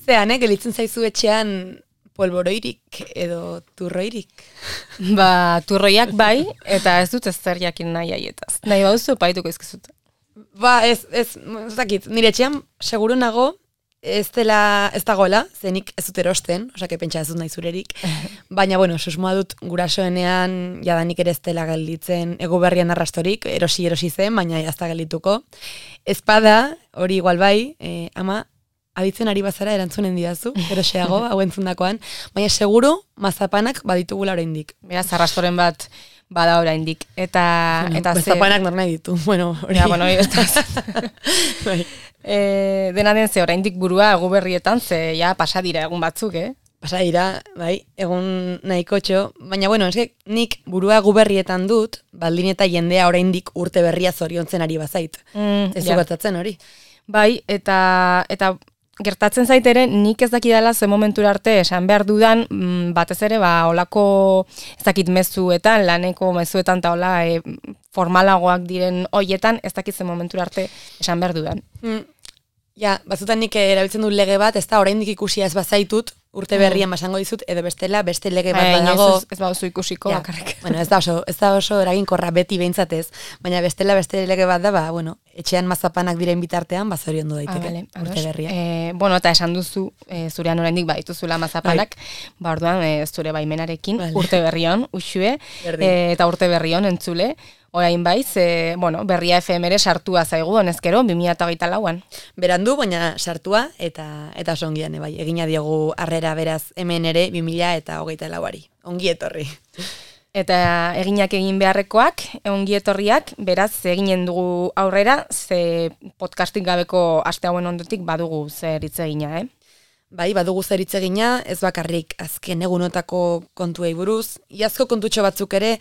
Zean, gelitzen zaizu etxean polboroirik edo turroirik? Turroiak bai, eta ez dut ez zer jakin nahi aietaz. Nahi bauzu, paituko izkizut. Ez dakit, nire etxean seguru nago ez dagoela, zenik ez dut erosten, osake pentsa ez dut nahi zurerik, baina, susmoa dut gurasoenean jadanik ere ez dela gelditzen ego berrian arrastorik, erosi zen, baina ez da geldituko. Ezpada, hori igual bai, ama, abitzen ari bazara erantzunen didazu, eroseago, hau entzundakoan, baina seguru mazapanak baditugula oraindik. Beraz, arrastoren bat bada oraindik. Eta mazapanak nor nahi ditu, hori. Hori ez da. Dena den ze oraindik burua egu berrietan, ze pasa dira egun batzuk, Pasa dira, bai, egun nahiko txo, baina eske nik burua egu berrietan dut, baldin eta jendea oraindik urte berria zoriontzen ari bazait. Ez gertatzen hori. Bai, eta gertatzen zaitere, nik ez dakidala ze momentura arte esan behar dudan, batez ere, olako ez dakit mezuetan, laneko mezuetan eta hola formalagoak diren hoietan, ez dakit ze momentura arte esan behar dudan. Batzutan nik erabiltzen dut lege bat, ez da oraindik ikusia ez bazaitut, urte berrian basango dizut, edo bestela, beste lege bat badago. Ez bauzu ikusiko bakarrik. Ez da oso eraginkorra beti behintzatez, baina bestela beste lege bat da, etxean mazapanak diren bitartean, zoriondu daiteke urte berria. Eta esan duzu, zurean oraindik badituzula mazapanak, orduan zure baimenarekin, urte berrion, usue, eta urte berrion entzule, orain baiz, berria FM ere sartua zaigu, honezkero, 2024an. Berandu, baina sartua, eta oso ongian, egina diogu harrera beraz hemen ere 2024ari. Ongi etorri. Eta eginak egin beharrekoak, ongi etorriak, beraz, eginen dugu aurrera, ze podcastik gabeko aste hauen ondotik badugu zer hitz egina, Bai, badugu zer hitz egina, ez bakarrik azken egunotako kontuei buruz, iazko kontutxo batzuk ere,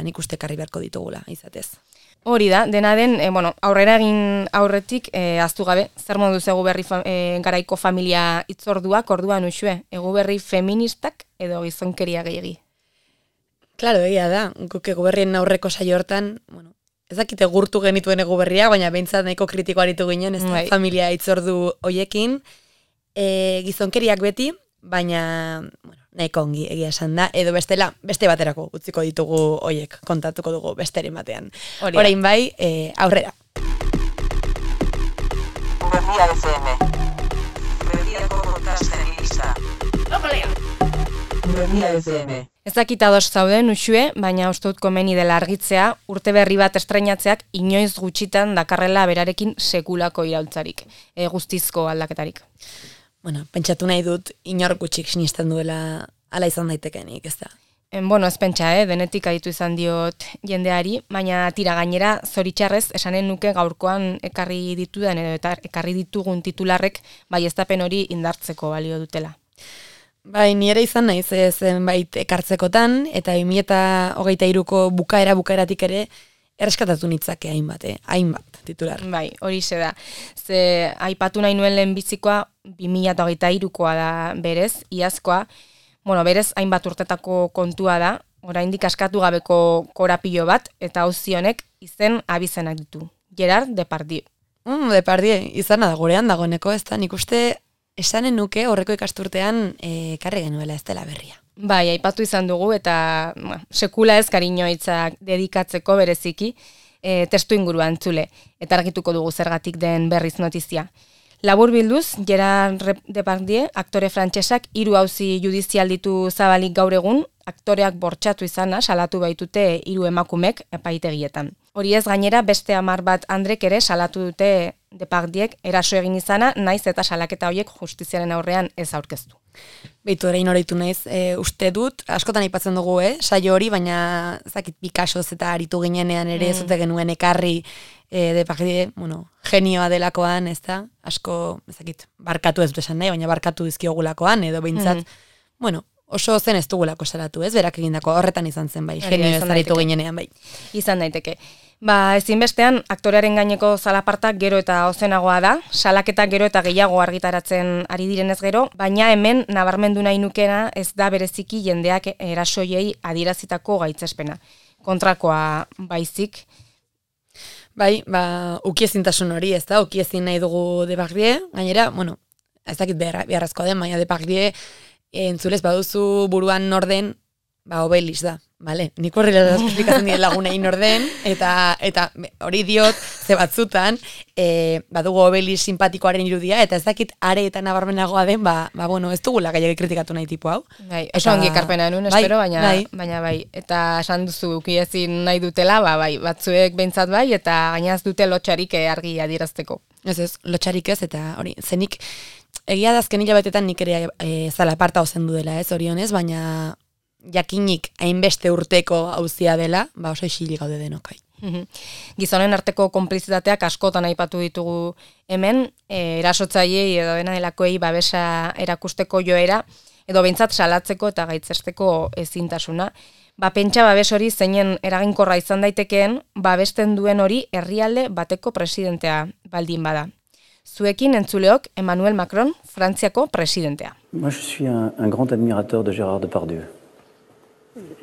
nik uste karri beharko ditugula, izatez. Hori da, dena den, aurrera egin aurretik, aztu gabe, zer moduz egu berri garaiko familia itzorduak, orduan usue, egu berri feministak edo gizonkeria gehiagi? Claro, egia da, guk egu berrien aurreko saio hortan, ez dakite gurtu genituen egu berria, baina behintzat nahiko kritiko aritu ginen, ez da, familia itzordu hoiekin, gizonkeriak beti, baina, nahiko ongi egia esan da, edo bestela, beste baterako utziko ditugu hoiek, kontatuko dugu besteren batean. Orain bai, aurrera. Berria FM. Berriako podcast feminista. Berria FM. Ez dakit ados zauden usue, baina uste dut komeni dela argitzea, urte berri bat estrenatzeak inoiz gutxitan dakarrela berarekin sekulako iraultzarik, guztizko aldaketarik. Pentsatu nahi dut, inor gutxik sinisten duela ala izan daitekenik, ez da? Ez pentsa, denetik aditu izan diot jendeari, baina tira gainera, zoritxarrez, esanen nuke gaurkoan ekarri ditudan edo eta ekarri ditugun titularrek, bai eztapen hori indartzeko balio dutela. Bai, ni ere izan naiz zenbait ekartzekotan, eta 2023ko bukaeratik ere, erreskatatu nitzake hainbat titular. Bai, hori da. Ze aipatu nahi nuen lehenbizikoa 2023koa da berez, iazkoa, berez hainbat urtetako kontua da, oraindik askatu gabeko korapilo bat, eta auzi honek izen abizenak ditu. Gerard Depardieu. Depardieu, izana da gurean dagoeneko, ez da, nik uste esanen nuke horreko ikasturtean karri genuela ez dela berria. Bai, aipatu izan dugu eta sekula ez kariño hitzak dedikatzeko bereziki testu ingurua entzule eta argituko dugu zergatik den berriz notizia. Labur bilduz, Gerard Depardieu, aktore frantsesak 3 auzi judizial ditu zabalik gaur egun, aktoreak bortxatu izana salatu baitute 3 emakumek epaitegietan. Hori ez gainera beste 10 bat andrek ere salatu dute Depardiek eraso egin izana, naiz eta salaketa horiek justiziaren aurrean ez aurkeztu. Beitu orain horreitu naiz, uste dut, askotan aipatzen dugu, saio hori, baina zakit Picassoz eta aritu ginenean ere zute genuen ekarri Depardieu, genioa delakoan, ez da, asko, ezakit, barkatu ez dut esan nahi, baina barkatu dizkiogulakoan, edo behintzat, oso zen ez dugulako salatu, ez, berak egindako horretan izan zen, bai, genio ez aritu ginenean, bai. Izan daiteke. Ezinbestean, aktorearen gaineko zalapartak gero eta ozenagoa da, salaketak gero eta gehiago argitaratzen ari direnez gero, baina hemen nabarmendu nahi nukena ez da bereziki jendeak erasoiei adierazitako gaitzespena. Kontrakoa baizik. Bai, ukiezintasun hori, ez da, ukiezin nahi dugu Depardieu, gainera, bueno, ez dakit beharrezkoa den, baina Depardieu entzulez baduzu buruan norden, Obelis da, bale? Nik horrela esplikatzen dien lagunei norden, eta hori diot, ze batzutan, badugu Obelis simpatikoaren irudia, eta ez dakit are eta nabarmenagoa den, bueno, ez dugula gaiak kritikatu nahi tipu hau. Bai, oso ongi ekarpena nuen, espero, baina bai, eta esan duzu ukiezin nahi dutela, bai, batzuek behintzat bai, eta gainaz dute lotxarik argi adierazteko. Ez, lotxarik ez, eta hori, zenik, egia da azken hilabetetan nik ere zala aparta ozendu dela, ez, orionez, baina jakinik hainbeste urteko auzia dela, oso isilik gaude denokai. Gizonen arteko konplizitateak askotan aipatu ditugu hemen, erasotzaileei edo dena delakoei babesa erakusteko joera, edo behintzat salatzeko eta gaitzesteko ezintasuna. Pentsa babes hori zeinen eraginkorra izan daitekeen, babesten duen hori herrialde bateko presidentea baldin bada. Zuekin entzuleok Emmanuel Macron, Frantziako presidentea. Moi, je suis un grand admirateur de Gérard Depardieu.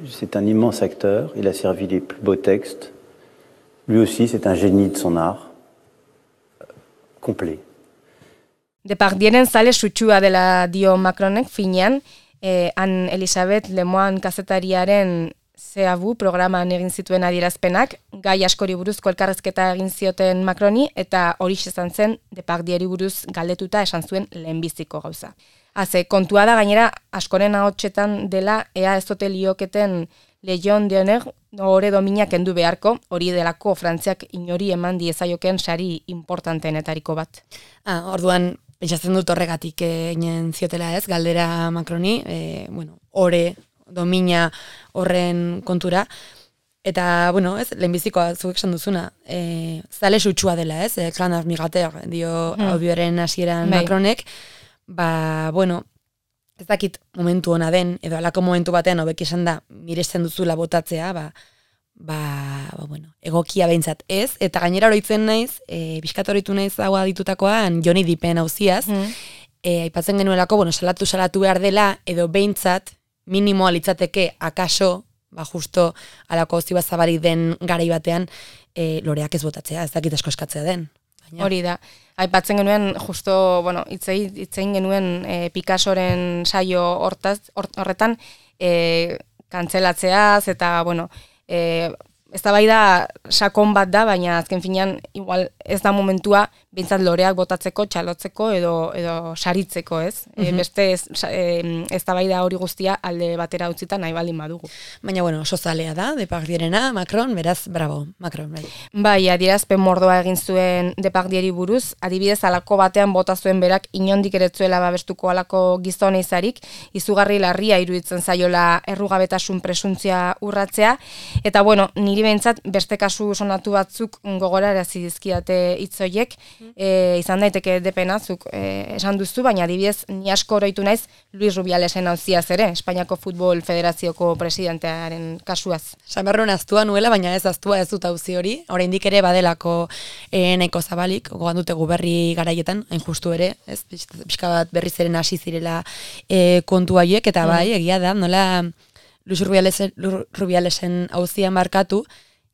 C'est un immense acteur, il a servi les plus beaux textes. Lui aussi, c'est un génie de son art, complet. Depardieuren zale sutsua dela dio Macronek finean, han Elisabeth Lemoine kazetariaren Zeabu programan egin zituen adierazpenak, gai askori buruzko elkarrezketa egin zioten Macroni, eta hori izan zen Depardieri buruz galdetuta esan zuen lehenbiziko gauza. Kontua da gainera askoren ahotsetan dela ea ez ote lioketen Legion d'Honneur ore domina kendu beharko, hori delako Frantziak inori eman diezaioken sari importanteenetariko bat. Orduan, pentsatzen dut horregatik egin ziotela ez, galdera Macroni, ore domina horren kontura, eta, ez, lehenbizikoa zuek esan duzuna, zale sutsua dela ez, Clan Admirateur, dio audioaren hasieran Macronek, ez dakit momentu ona den, edo alako momentu batean hobeki esan da, miresten duzula botatzea, egokia behintzat ez, eta gainera oroitzen naiz, pixkat oroitu naiz hau aditutakoan Johnny Deppen auziaz, aipatzen genuelako, salatu behar dela, edo behintzat, minimoa litzateke akaso, justo alako auzi bat zabari den garai batean, loreak ez botatzea, ez dakit asko eskatzea den. Hori da. Aipatzen genuen, justo, itzein genuen Picassoren saio horretan, kantzelatzeaz, eta, ez da bai da sakon bat da, baina azken finean, igual ez da momentua, bintzat loreak botatzeko, txalotzeko, edo saritzeko, ez? Beste ez da bai da hori guztia alde batera utzita nahi baldin badugu. Baina, oso zalea da, Depardieuerena, Macron, beraz, bravo, Macron, bai. Bai, adierazpen mordoa egin zuen Depardieri buruz, adibidez alako batean bota zuen berak inondik eretzuela babestuko alako gizone izarik, izugarri larria iruditzen zaiola errugabetasun presuntzia urratzea, eta niri behintzat beste kasu sonatu batzuk gogorarazi dizkidate hitzoiek, izan daiteke depenazuk esan duzu, baina adibidez ni asko oroitu naiz Luis Rubialesen auziaz ere, Espainiako Futbol Federazioko presidentearen kasuaz. Samarron aztua nuela, baina ez aztua ez dut auzi hori, oraindik ere badelako nahiko zabalik, gogoan dute berri garaietan, hain justu ere, ez, pixka bat berriz eren hasi zirela kontu haiek, eta bai, egia da, nola Luis Rubialesen auzian markatu,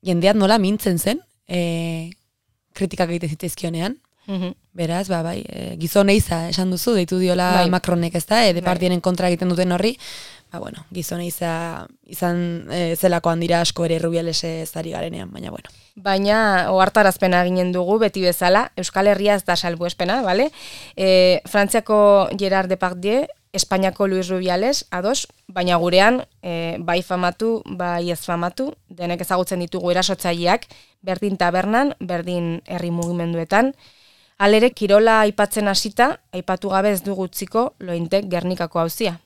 jendeat nola mintzen zen, kritikak egite zitezkionean. Beraz, gizon eiza esan duzu, deitu diola Macronek ez da, Depardieuren kontra egiten duten horri, gizon eiza izan zelakoan dira asko ere Rubialese zari garenean, baina Baina, ohartarazpena ginen dugu, beti bezala, Euskal Herria ez da salbuespena, bale? Frantziako Gerard Depardieu, Espainiako Luis Rubiales, ados, baina gurean, bai famatu, bai ez famatu, denek ezagutzen ditugu erasotzaileak, berdin tabernan, berdin herri mugimenduetan. Halere, kirola aipatzen hasita, aipatu gabe ez dugu utziko Lointek Gernikako auzia.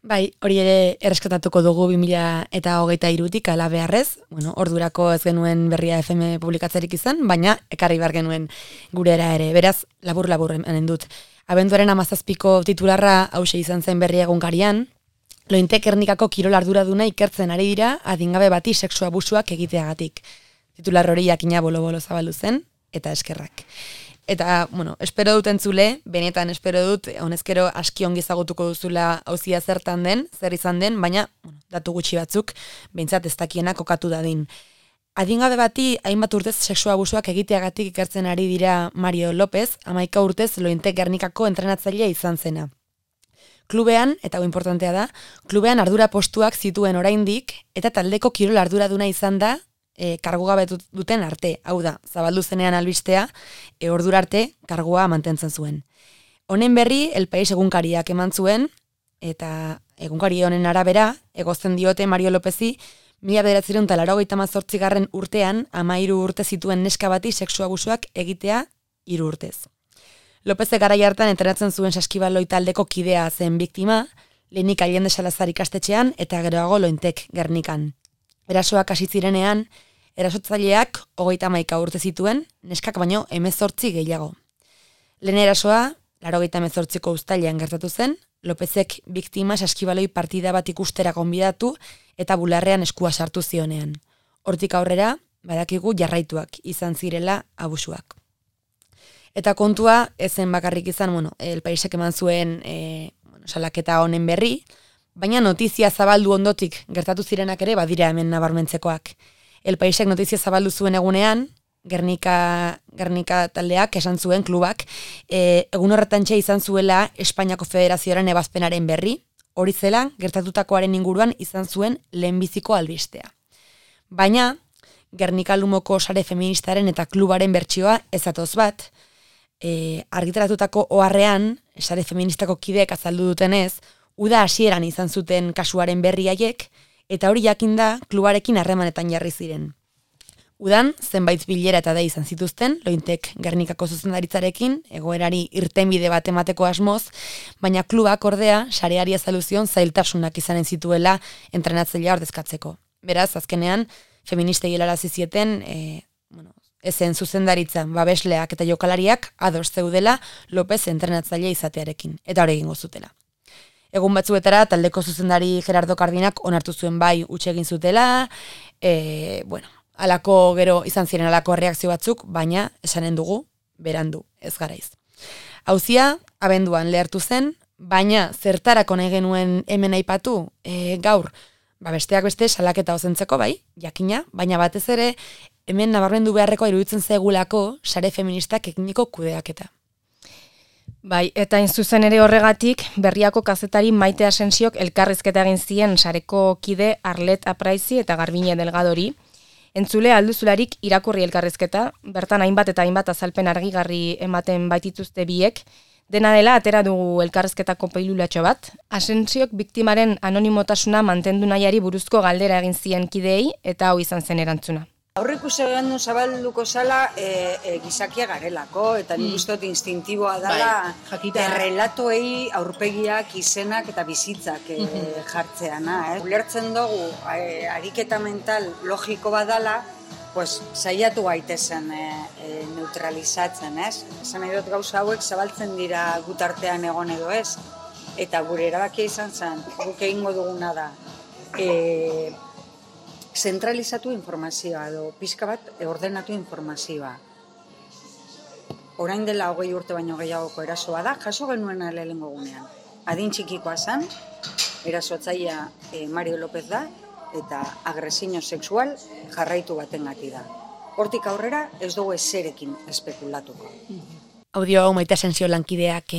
Bai, hori ere erreskatatuko dugu 2023tik ala beharrez, ordurako ez genuen Berria FM publikatzerik izan, baina ekarri behar genuen gurera ere, beraz, labur emanen dut. Abenduaren 17ko titularra hause izan zen Berria egunkarian, Lointek Gernikako kirol arduraduna ikertzen ari dira adingabe bati sexu abusuak egiteagatik. Titular hori jakina bolo-bolo zabaldu zen, eta eskerrak. Eta, espero dut entzule, benetan espero dut, honezkero aski ongi ezagutuko duzula auzia zertan den, zer izan den, baina datu gutxi batzuk, behintzat ez dakiena kokatu dadin. Adingabe bati hainbat urtez sexu abusuak egiteagatik ikertzen ari dira Mario López, 11 urtez Lointek Gernikako entrenatzailea izan zena. Klubean, eta hau importantea da, klubean ardura postuak zituen oraindik eta taldeko kirol arduraduna izan da kargugabe duten arte. Hau da, zabaldu zenean albistea, ordura arte kargua mantentzen zuen. Honen berri, El País egunkariak eman zuen, eta egunkari honen arabera, egozten diote Mario Lópezi, 1988 urtean, 13 urte zituen neska bati sexu abusuak egitea 3 urtez. Lópezek garai hartan entrenatzen zuen saskibaloi taldeko kidea zen biktima, lehenik Allende Salazar ikastetxean eta geroago Lointek Gernikan. Erasoak hasi zirenean, erasotzaileak 31 urte zituen, neskak baino 18 gehiago. Lehen erasoa, 98ko uztailean gertatu zen, Lópezek biktima saskibaloi partida bat ikustera gonbidatu eta bularrean eskua sartu zionean. Hortik aurrera, badakigu jarraituak izan zirela abusuak. Eta kontua, ezen bakarrik izan, El Paisek eman zuen salaketa honen berri, baina notizia zabaldu ondotik gertatu zirenak ere badira hemen nabarmentzekoak. El Paisek notizia zabaldu zuen egunean, Gernika taldeak esan zuen klubak, egun horretantxe izan zuela Espainiako Federazioaren ebazpenaren berri, hori zela gertatutakoaren inguruan izan zuen lehenbiziko albistea. Baina, Gernika Lumoko sare feministaren eta klubaren bertsioa ezatoz bat, argitaratutako oharrean, sare feministako kideek azaldu dutenez, uda hasieran izan zuten kasuaren berri haiek, eta hori jakinda klubarekin harremanetan jarri ziren. Udan, zenbait bilera eta da izan zituzten, Lointek Gernikako zuzendaritzarekin, egoerari irtenbide bat emateko asmoz, baina klubak ordea, sareari azalduzion zailtasunak izanen zituela entrenatzailea ordezkatzeko. Beraz, azkenean, feministei helarazi zieten, ezen zuzendaritza, babesleak eta jokalariak ados zeudela López entrenatzailea izatearekin, eta hori egingo zutela. Egun batzuetara, taldeko zuzendari Gerardo Kardinak onartu zuen bai huts egin zutela, alako gero izan ziren alako reakzio batzuk, baina esanen dugu, berandu, ez garaiz. Auzia, abenduan lehertu zen, baina zertarako nahi genuen hemen aipatu, gaur, besteak beste salaketa ozentzeko bai, jakina, baina batez ere, hemen nabarmendu beharreko iruditzen zegulako sare feministak eginiko kudeaketa. Bai, eta zuzen ere horregatik, Berriako kazetari Maite Asensiok elkarrizketa egin zien sareko kide Arlet Apraizi eta Garbine Delgadori. Entzule alduzularik irakurri elkarrizketa, bertan hainbat eta hainbat azalpen argigarri ematen baitituzte biek, dena dela atera dugu elkarrizketako peilulatxo bat. Asensiok biktimaren anonimotasuna mantendu nahiari buruzko galdera egin zien kideei eta hau izan zen erantzuna. Aurreku zegoen zabalduko zala gizakia garelako, eta nik uste dut instintiboa dela relatoei aurpegiak, izenak eta bizitzak jartzeana. Ulertzen dugu ariketa mental logiko badala, saiatu gaitezen neutralizatzen, ez? Esan nahi dut gauza hauek zabaltzen dira gutartean egon edo ez, eta gure erabakia izan zen, guk egingo duguna da, zentralizatu informazioa edo pixka bat ordenatu informazioa. Orain dela 20 urte baino gehiagoko erasoa da, jaso genuena lehenengo gunean. Adin txikikoa zen, erasotzailea Mario López da, eta agresio sexual jarraitu batengatik da. Hortik aurrera ez dugu ezerekin espekulatuko. Audio hau Maite Asensio lankideak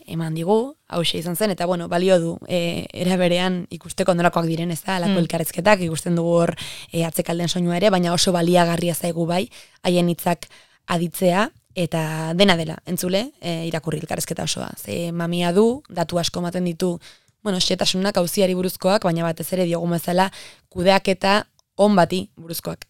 eman digu, hauxe izan zen, eta balio du, era berean ikusteko nolakoak diren, ez da, alako elkarrezketak, ikusten dugu hor atzekalden soinua ere, baina oso baliagarria zaigu bai, haien hitzak aditzea, eta dena dela, entzule, irakurri elkarrezketa osoa. Ze mamia du, datu asko ematen ditu, xetasunak auziari buruzkoak, baina batez ere diogun bezala kudeaketa on bati buruzkoak.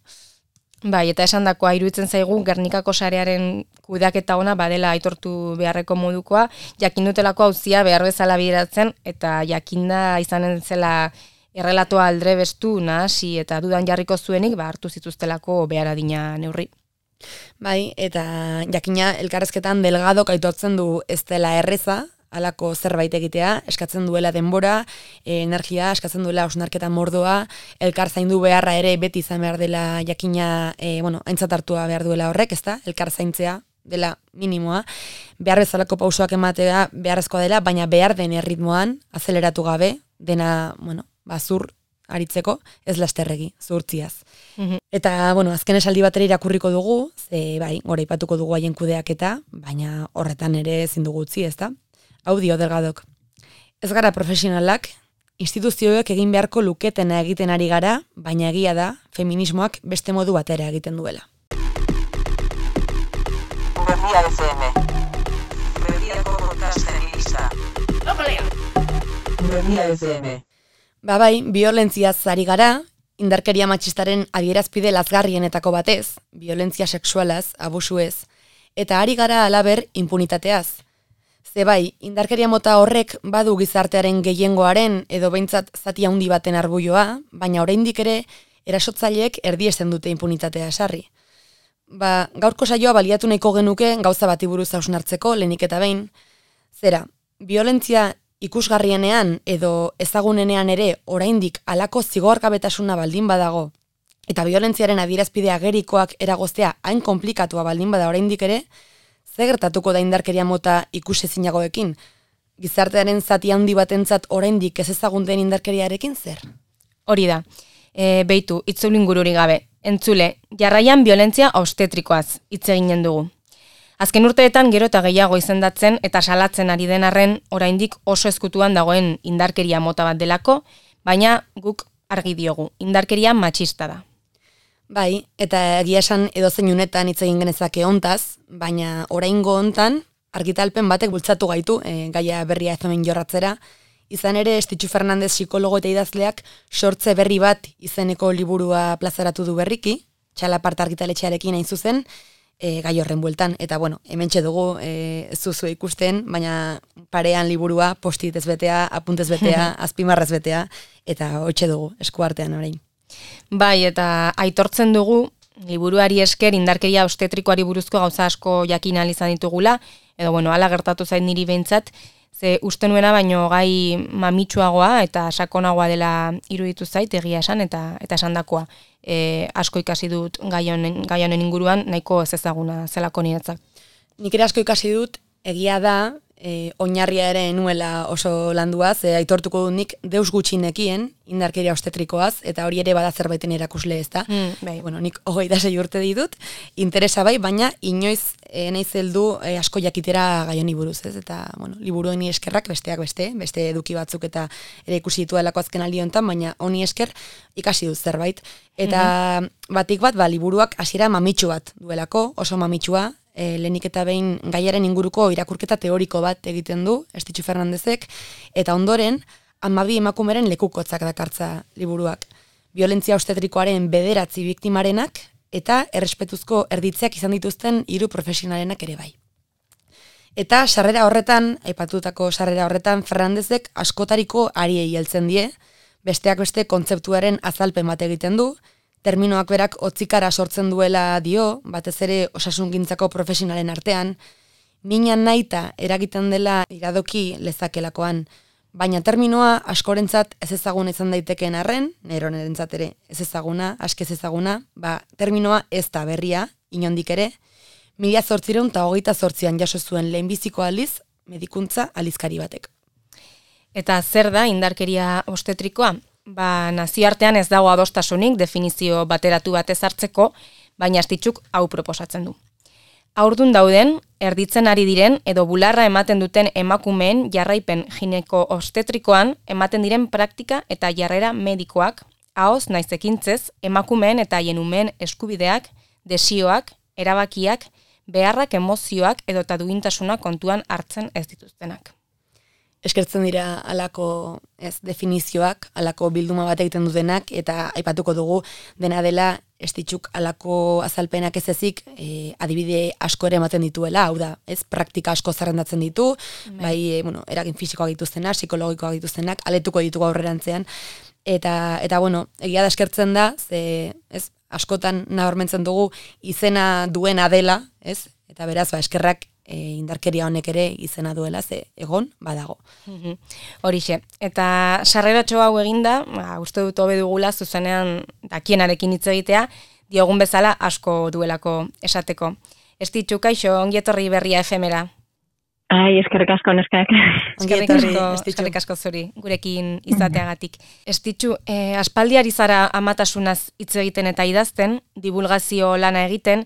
Bai, eta esandakoa iruditzen zaigu Gernikako sarearen kudeaketa ona badela aitortu beharreko modukoa, jakin dutelako auzia behar bezala bideratzen, eta jakinda izanen zela errelatoa aldrebestu, nahasi eta dudan jarriko zuenik, hartu zituztelako behar adina neurri. Bai, eta jakina elkarrezketan Delgadok aitortzen du ez dela erreza, halako zerbait egitea, eskatzen duela denbora, energia, eskatzen duela hausnarketa mordoa, elkar zaindu beharra ere beti izan behar dela jakina, aintzat hartua behar duela horrek, ezta? Elkar zaintzea dela minimoa, behar bezalako pausoak ematea beharrezkoa dela, baina behar den erritmoan, azeleratu gabe, dena, zur aritzeko, ez lasterregi, zuhurtziaz. Eta, bueno, azken esaldi batera irakurriko dugu, ze, bai, gora ipatuko dugu haien kudeaketa, baina horretan ere ezin dugu utzi, ezta? Hau dio Delgadok. Ez gara profesionalak, instituzioek egin beharko luketena egiten ari gara, baina egia da, feminismoak beste modu batera egiten duela. Berria FM. Berriako podcast feminista. Berria FM. Bai, biolentziaz ari gara, indarkeria matxistaren adierazpide lazgarrienetako batez, violentzia sexualaz, abusuez, eta ari gara halaber impunitateaz. Ze bai, indarkeria mota horrek badu gizartearen gehiengoaren edo behintzat zati handi baten arbuioa, baina oraindik ere erasotzaileek erdiesten dute impunitatea esarri. Gaurko saioa baliatu nahiko genuke gauza bati buruz hausnartzeko lehenik eta behin. Zera, violentzia ikusgarrienean edo ezagunenean ere oraindik halako zigorgabetasuna baldin badago, eta violentziaren adierazpide agerikoak eragoztea hain konplikatua baldin bada oraindik ere, ze gertatuko da indarkeria mota ikusezinagoekin? Gizartearen zati handi batentzat oraindik ez ezagun den indarkeriarekin zer? Hori da. Beitu, itzulin gururi gabe. Entzule, jarraian violentzia obstetrikoaz hitz eginen dugu. Azken urteetan gero eta gehiago izendatzen eta salatzen ari den arren oraindik oso ezkutuan dagoen indarkeria mota bat delako, baina guk argi diogu, indarkeria matxista da. Bai, eta egia esan edozein unetan hitz egin genezake hontaz, baina oraingo hontan argitalpen batek bultzatu gaitu gaia berria ez omen jorratzera. Izan ere, Estitxu Fernandez psikologo eta idazleak sortze berri bat izeneko liburua plazaratu du berriki, Txalaparta argitaletxearekin hain zuzen, gai horren bueltan. Eta bueno, hementxe dugu ez duzu ikusten, baina parean liburua post-it ez betea, apuntez betea, azpimarraz betea, eta hoitxe dugu, eskuartean orain. Bai, eta aitortzen dugu, liburuari esker indarkeria obstetrikoari buruzko gauza asko jakin ahal izan ditugula, edo bueno, hala gertatu zait niri behintzat, ze uste nuena baino gai mamitsuagoa eta sakonagoa dela iruditu zait egia esan eta esandakoa. Asko ikasi dut gai honen inguruan, nahiko ez ezaguna zelako niretzat. Nik ere asko ikasi dut, egia da, oinarria ere nuela oso landuaz, aitortuko dut nik deus gutxinekien indarkeria obstetrikoaz, eta hori ere bada zerbaiten erakusle ez da. Bai. Bueno, nik 26 urte ditut, interesa bai, baina inoiz naiz heldu asko jakitera gai honi buruz, ez? Eta, bueno, liburu honi eskerrak besteak beste eduki batzuk eta ere ikusi dituelako azken aldi honetan, baina honi esker ikasi dut zerbait. Eta batik bat, liburuak hasiera mamitsu bat duelako, oso mamitsua, lehenik eta behin gaiaren inguruko irakurketa teoriko bat egiten du, Estitxu Fernandezek, eta ondoren, 12 emakumeren lekukotzak dakartza liburuak. Violentzia obstetrikoaren 9 biktimarenak, eta errespetuzko erditzeak izan dituzten 3 profesionalenak ere bai. Eta sarrera horretan, aipatutako sarrera horretan, Fernandezek askotariko ariei heltzen die, besteak beste kontzeptuaren azalpen bat egiten du, terminoak berak hotzikara sortzen duela dio, batez ere osasungintzako profesionalen artean, minan nahita eragiten dela iradoki lezakelakoan, baina terminoa askorentzat ez ezaguna izan daitekeen arren, neronerentzat ere ez ezaguna, askez ezaguna, terminoa ez da berria, inondik ere, 1828an jaso zuen lehenbiziko aldiz, medikuntza aldizkari batek. Eta zer da indarkeria obstetrikoa? Nazioartean ez dago adostasunik definizio bateratu bat ezartzeko, baina Estitxuk hau proposatzen du. Haurdun dauden, erditzen ari diren edo bularra ematen duten emakumeen jarraipen gineko obstetrikoan ematen diren praktika eta jarrera medikoak, ahoz naiz ekintzez, emakumeen eta haien umeen eskubideak, desioak, erabakiak, beharrak, emozioak edota duintasuna kontuan hartzen ez dituztenak. Eskertzen dira alako definizioak, alako bilduma bat egiten dutenak, eta aipatuko dugu dena dela Estitxuk alako azalpenak ez ezik adibide asko ere ematen dituela, hau da, praktika asko zerrendatzen ditu, bai, eragin fisikoak dituztenak, psikologikoak dituztenak, aletuko ditugu aurrerantzean, eta bueno, egia da eskertzen da, askotan nabarmentzen dugu izena duena dela, eta beraz, eskerrak indarkeria honek ere izena duela, ze egon badago. Horixe. Eta sarreratxo hau eginda, uste dut hobe dugula zuzenean dakienarekin hitz egitea, diogun bezala asko duelako esateko. Estitxu, kaixo, ongi etorri Berria FM-era. Eskerrik asko neskak. Eskerrik asko zuri, gurekin izateagatik. Estitxu, aspaldiari zara amatasunaz hitz egiten eta idazten, divulgazio lana egiten,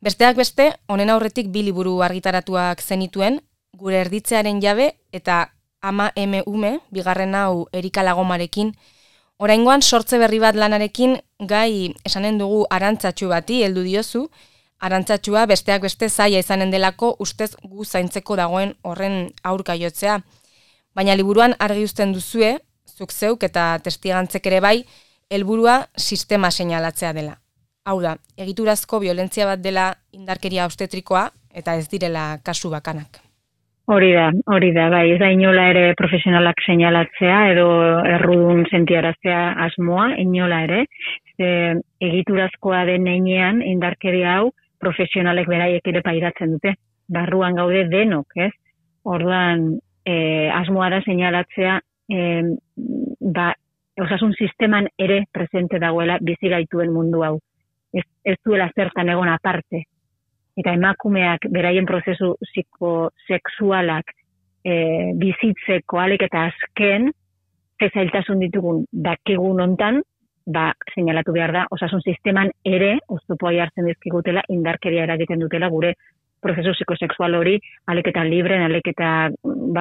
besteak beste, honen aurretik 2 liburu argitaratuak zenituen, Gure erditzearen jabe eta Ama eme ume, bigarren hau Erika Lagomarekin. Oraingoan sortze berri bat lanarekin gai esanen dugu arantzatxu bati heldu diozu. Arantzatxua besteak beste zaila izanen delako ustez gu zaintzeko dagoen horren aurka jotzea. Baina liburuan argi uzten duzue, zuk zeuk eta testigantzek ere bai, helburua sistema seinalatzea dela. Hau da, egiturazko violentzia bat dela indarkeria obstetrikoa eta ez direla kasu bakanak. Hori da, bai, ez da inola ere profesionalak seinalatzea edo errudun sentiaraztea asmoa, inola ere. Egiturazkoa den heinean indarkeria hau profesionalek beraiek ere pairatzen dute. Barruan gaude denok, ez? Orduan, asmoa da seinalatzea, osasun sisteman ere presente dagoela bizi gaituen mundu hau. Ez duela zertan egon aparte. Eta emakumeak beraien prozesu psikosexualak bizitzeko alik eta azken, zailtasun ditugun dakigun hontan, seinalatu behar da, osasun sisteman ere, oztopoa jartzen dizkigutela, indarkeria eragiten dutela gure prozesu psikosexual hori, alik eta libren, alik eta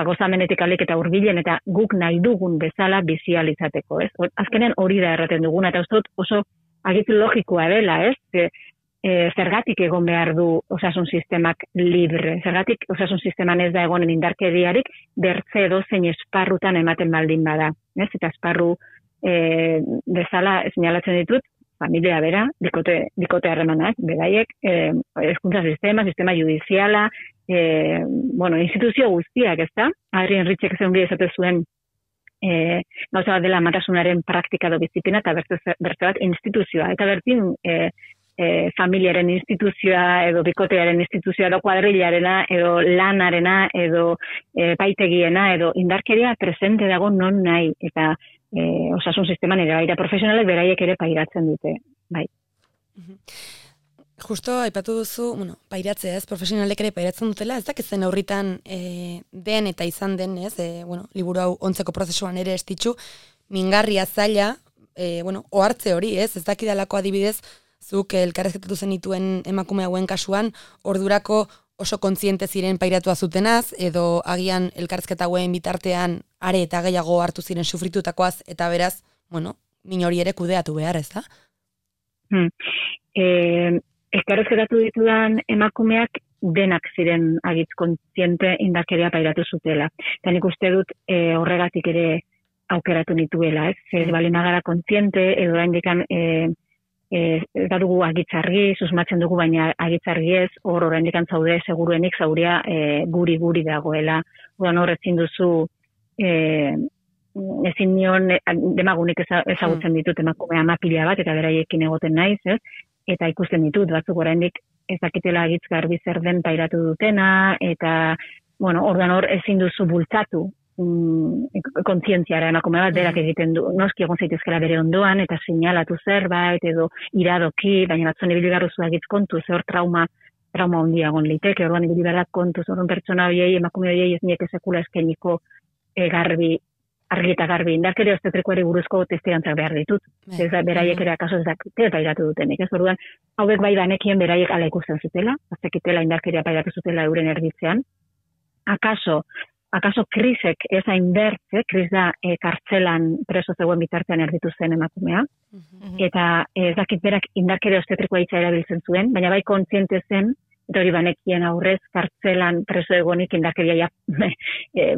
gozamenetik alik eta hurbilen, eta guk nahi dugun bezala bizializateko, ez? Azkenean hori da erraten duguna, eta oso agitu logikoa dela, ez? Zergatik egon behar du osasun sistemak libre. Zergatik osasun sisteman ez da egonen indarkeriarik bertze edozein esparrutan ematen baldin bada. Ez? Eta esparru bezala seinalatzen ditut, familia bera, bikote harremanak, beraiek, hezkuntza sistema judiziala, instituzio guztiak, ez da? Adrien Ritchek zeungi esate zuen gauza bat dela amatasunaren praktika do biziklina eta bertze bat instituzioa. Eta bertin familiaren instituzioa, edo bikotearen instituzioa, edo kuadrillarena, edo lanarena, edo paitegiena, edo indarkeria presente dago non nahi, eta osasun sisteman ere baita profesionalek beraiek ere pairatzen dute, bai. Justo aipatu duzu, pairatzea ez, profesionalek ere pairatzen dutela, ez dakitzen aurritan den eta izan den, ez, liburu hau ontzeko prozesuan ere estitxu, mingarria zaila, ohartze hori, ez dakidalako adibidez, zuk elkarrezketatu zenituen emakume hauen kasuan, ordurako oso kontziente ziren pairatua zutenaz, edo agian elkarrezketa hauen bitartean are eta gehiago hartu ziren sufritutakoaz, eta beraz, min hori ere kudeatu behar, ez da? Elkarrezketatu ditudan emakumeak denak ziren agitz kontziente indarkeria pairatu zutela. Eta nik uste dut horregatik ere aukeratu nituela, ez? Ez bali magara kontziente, edo oraindikan da dugu agitzargi, susmatzen dugu, baina agitzargi ez, oraindik zaude seguruenik zauria guri dagoela. Hor ezin duzu, ezin nion, demagunik ezagutzen ditut emakume amapila bat, eta beraiekin egoten naiz, ez? Eta ikusten ditut, batzuk oraindik ez dakitela agitz garbi zer den pairatu dutena, eta, ordan hor ezin duzu bultzatu kontzientziara emakume bat berak egiten du, noski egon zaitezkela bere ondoan, eta seinalatu zerbait, edo iradoki, baina batzuen ibili garruzu agitz kontuz, hor trauma handia egon liteke, orduan ibili berak kontuz, orduan pertsona horiei, emakume horiei ez nieke sekula eskeniko argi eta garbi, indarkeria obstetrikoari buruzko testigantzak behar ditut. Ez da, beraiek ere akaso ez dakite pairatu dutenik, ez? Orduan, hauek bai banekien beraiek ala ikusten zutela, aztekitela indarkeria pairatu zutela euren erditzean. Akaso krisek ez hainbertze, kris da kartzelan preso zegoen bitartean erditu zen emakumea, eta ez dakit berak indarkeria obstetrikoa hitza erabiltzen zuen, baina bai kontziente zen, eta hori banekien aurrez kartzelan preso egonik indarkeria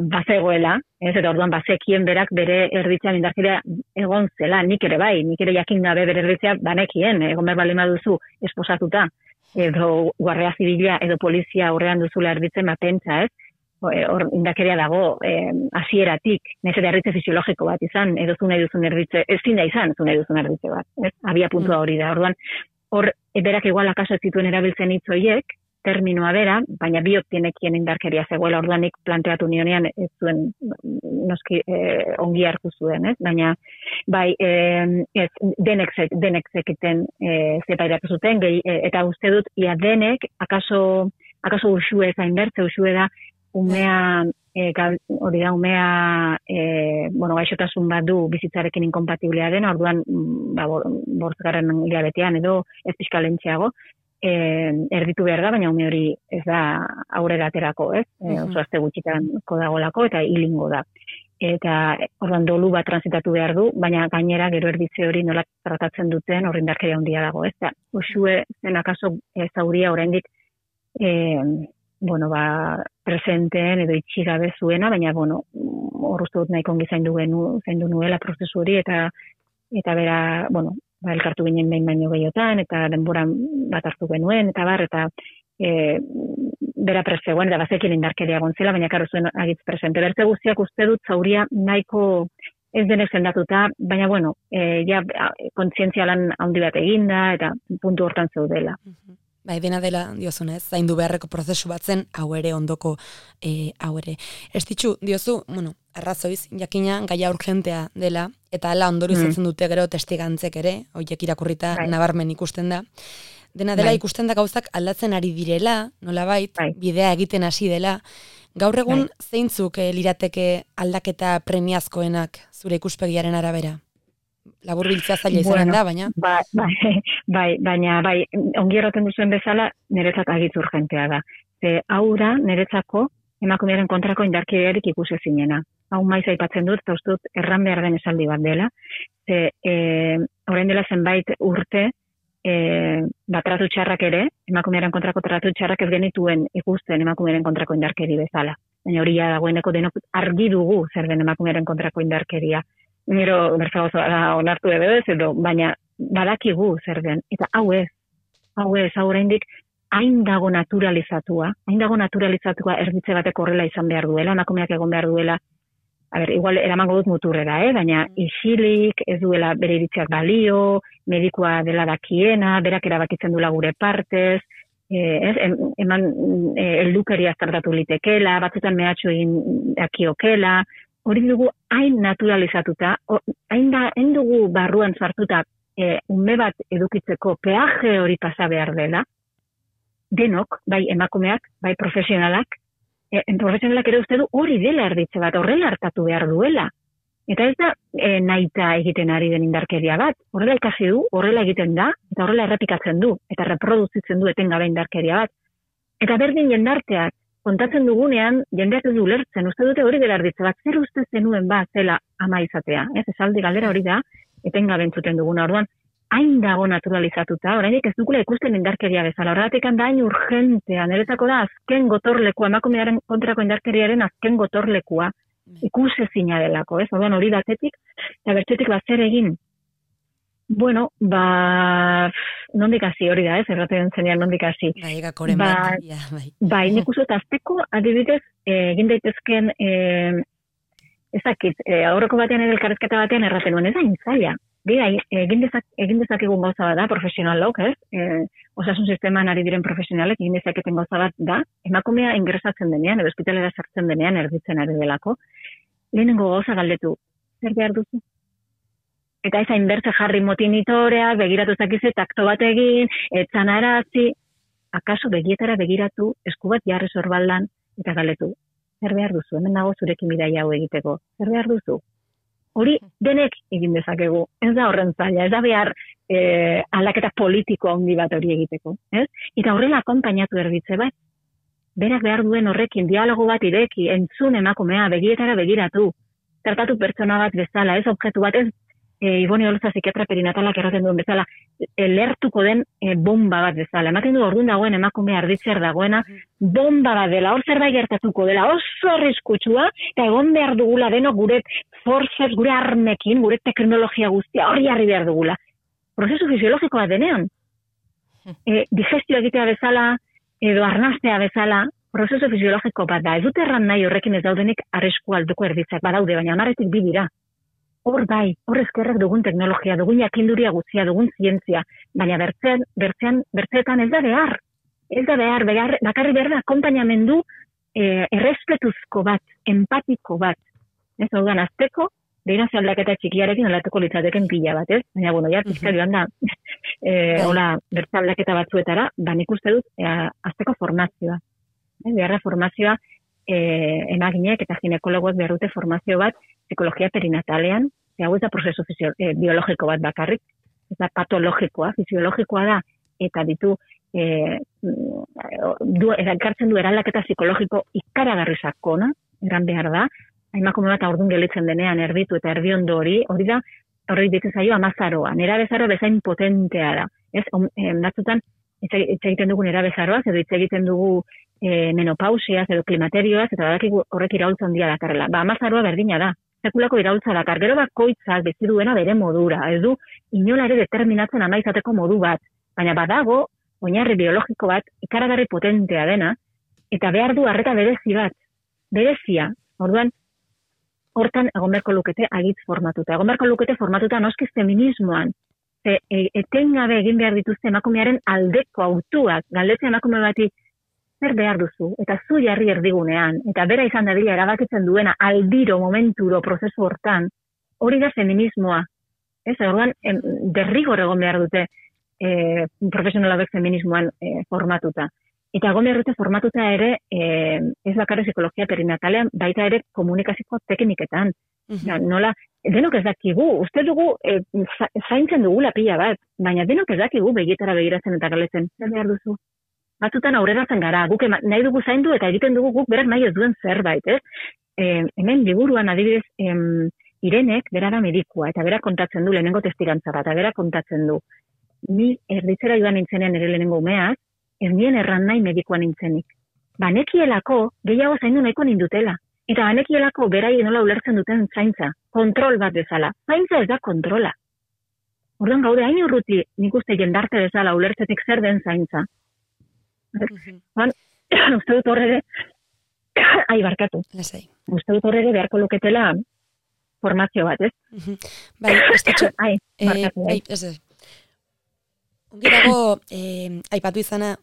bazegoela, ez, eta orduan bazekien berak bere erditzean indarkeria egon zela, nik ere jakin gabe bere erditzea banekien, egon behar bali maduzu esposatuta, edo guardia zibila, edo polizia aurrean duzula erditzen pentsa, ez? Hor indarkeria dago hasieratik, nahiz eta erditze fisiologiko bat izan, edo zu nahi duzun erditze, ezin da izan zu nahi duzun erditze bat, ez? Abia puntua hori da, orduan, hor berak igual akaso ez zituen erabiltzen hitz horiek, terminoa bera, baina biok tienekien indarkeria zegoela, orduan nik planteatu nionean ez zuen noski ongi hartu zuen, ez? Baina, bai, denek zekiten zepairatu zuten, eta uste dut, ia denek, akaso usue zain bertze, usue da, umea gaixotasun bat du bizitzarekin inkompatiblea dena, orduan, 5. hilabetean edo ez pixka lentxeago, erditu behar da, baina ume hori ez da aurrera aterako, ez? Oso aste gutxitan kodagolako eta hilingo da. Eta orduan dolu bat transitatu behar du, baina gainera gero erditze hori nola tratatzen duten hor indarkeria handia dago, ez da. Uxue zen akaso zauria oraindik presenteen edo itxigabe zuena, baina hor uste dut nahiko ongi zaindu nuela prozesu hori eta bera, elkartu ginen behin baino gehiotan, eta denboran bat hartu genuen, eta bera prezegoen, eta bazekin indarkeria gontzela, baina karo zuen agitz presente. Bertze guztiak uste dut zauria nahiko ez denek sendatuta, baina kontzientzia lan handi bat eginda, eta puntu hortan zeudela. Bai, dena dela diozunez, zaindu beharreko prozesu bat zen, hau ere ondoko, hau ere. Ez ditxu, diozu, arrazoiz, jakina gaia urgentea dela, eta ala ondorio izatzen dute gero testigantzek ere, horiek irakurrita nabarmen ikusten da. Dena dela ikusten da gauzak aldatzen ari direla, nolabait, bidea egiten hasi dela. Gaur egun zeintzuk lirateke aldaketa premiazkoenak zure ikuspegiaren arabera? Laburbiltzea zaila izanen da, baina... Baina ongi erraten duzuen bezala, niretzat agitz urgentea da. Hau da, niretzako, emakumearen kontrako indarkeriarik ikusi zinena. Hau maiz aipatzen dut, eta uste dut erran behar den esaldi bat dela. Orain dela zenbait urte, tratu txarrak ere, emakumearen kontrako tratu txarrak ez genituen ikusten emakumearen kontrako indarkeri bezala. Baina hori dagoeneko denok argi dugu zer den emakumearen kontrako indarkeria. Nero berzagoz onartu edo, baina badakigu zer den. Eta hau oraindik hain dago naturalizatua erditze batek horrela izan behar duela, emakumeak egon behar duela, igual eramango dut muturrera, baina isilik, ez duela bere iritziak balio, medikua dela dakiena, berak erabakitzen duela gure partez, heldukeria tratatu litekela, batzutan mehatxu egin dakiokela, hori dugu hain naturalizatuta, hain dugu barruan sartuta ume bat edukitzeko peaje hori pasa behar dela, denok, bai emakumeak, bai profesionalak ere uste du hori dela erditze bat, horrela hartatu behar duela. Eta ez da nahita egiten ari den indarkeria bat, horrela ikasi du, horrela egiten da, eta horrela errepikatzen du, eta reproduzitzen du etengabe indarkeria bat. Eta berdin jendarteak, kontatzen dugunean, jendeak ez du lertzen, uste dute hori dela erditze bat, zer uste zenuen bat zela ama izatea. Esaldi galdera hori da, etengabe entzuten duguna, orduan, hain dago naturalizatuta, orainik ez dukula ikusten indarkeria bezala, horregatik da hain urgentea, niretzako da azken gotorlekua, emakumearen kontrako indarkeriaren azken gotorlekua, ikusezina delako, orduan hori batetik, eta bertzetik zer egin. Nondik hasi hori da, erraten zenean nondik hasi. Gakoren bat, bai. Nik uste azteko, adibidez, egin daitezken, ezakit, aurreko batean edo elkarrezketa batean erraten nuen, ez da intzaila. Egin dezakegun gauza bat da, profesionalok, osasun sisteman ari diren profesionalek, egin dezaketen gauza bat da, emakumea ingresatzen denean, edo ospitalera sartzen denean, erditzen ari delako, lehenengo gauza galdetu, zer behar duzu? Eta ez hainbertze jarri motinitorea, begiratu zakize, takto bat egin, etzan arazi, akaso begietara begiratu, esku bat jarri sorbaldan, eta galdetu, zer behar duzu, hemen dago zurekin bidaia hau egiteko, zer behar duzu? Hori denek egin dezakegu, ez da horren zaila, ez da behar aldaketa politiko handi bat hori egiteko. Eta horrela akonpainatu erditze bat, berak behar duen horrekin, dialogo bat ireki, entzun emakumea, begietara begiratu, tratatu pertsona bat bezala, ez objektu bat, ez Iboni Oloza psikiatra perinatalak erraten duen bezala, lertuko den bomba bat bezala. Ematen du orduan dagoen emakumea erditzer dagoena, bomba bat dela, hor zerbait gertatuko dela, oso arriskutsua, eta egon behar dugula denok gure forces, gure armekin, gure teknologia guztia, hori jarri behar dugula. Prozesu fisiologikoa denean. Digestio egitea bezala, edo arnastea bezala, prozesu fisiologiko bat da. Ez dute erran nahi horrekin ez daudenik arrisku alduko erditzak badaude, baina 10 bi dira. Hor bai, hor eskerrak dugun teknologia, dugun jakinduria guztia, dugun zientzia, baina bertzeetan ez da behar. Ez da behar, bakarri behar da, akonpainamendu errespetuzko bat, empatiko bat. Ez hau azteko, behira aldaketa txikiarekin aldatuko litzateken pila bat, ez? Baina, ja, pizka joan da, hola, bertze aldaketa batzuetara, nik uste dut, azteko formazioa. Beharra formazioa, emaginek eta ginekologoek behar dute formazio bat psikologia perinatalean, hau ez da prozesu biologiko bat bakarrik, ez da patologikoa, fisiologikoa da, eta ditu, ekartzen du eraldaketa psikologiko ikaragarri sakona, eran behar da, emakume bat aurdun gelitzen denean erditu eta erdiondo hori da, hori ditu zaio amazaroa, nerabezaroa bezain potentea da, ez, batzutan, hitz egiten dugu nerabezaroaz, edo hitz egiten dugu menopausiaz, edo klimaterioaz, eta badakigu horrek iraultza handia dakarrela. Amazaroa berdina da, sekulako iraultza dakar, gero bakoitzak bizi duena bere modura, ez du inola ere determinatzen ama izateko modu bat, baina badago, oinarri biologiko bat, ikaragarri potentea dena, eta behar du arreta berezia, orduan, hortan egon beharko lukete agitz formatuta. Egon beharko lukete formatuta noski feminismoan, etengabe egin behar dituzte emakumearen aldeko autuak, galdetzen emakume bati, zer behar duzu, eta zu jarri erdigunean, eta bera izan dadila erabakitzen duena aldiro, momenturo, prozesu hortan, hori da feminismoa. Ez, orduan, derrigor egon behar dute profesionalak feminismoan formatuta. Eta egon behar dute formatuta ere, ez bakarrik psikologia perinatalean, baita ere komunikazio tekniketan. Nola, denok ez dakigu, uste dugu, zaintzen dugula pila bat, baina denok ez dakigu begietara begiratzen eta galetzen, zer behar duzu. Batzutan aurreratzen gara, guk nahi dugu zaindu eta egiten dugu guk berak nahi ez duen zerbait, ez? Hemen liburuan adibidez Irenek berara medikua, eta berak kontatzen du lehenengo testigantza bat, eta berak kontatzen du. Ni erditzera joan nintzenean ere lehenengo umeaz, ez nien erran nahi medikua nintzenik. Banekielako gehiago zaindu nahiko nindutela. Eta banekielako berai nola ulertzen duten zaintza, kontrol bat bezala. Zaintza ez da kontrola. Orduan gaude hain urruti nik uste jendarte bezala ulertzetik zer den zaintza. Uste dut horre barkatu. Uste dut horre beharko luketela formazio bat, ez? Bai, estetxo. Barkatu. Ongi dago, aipatu izana,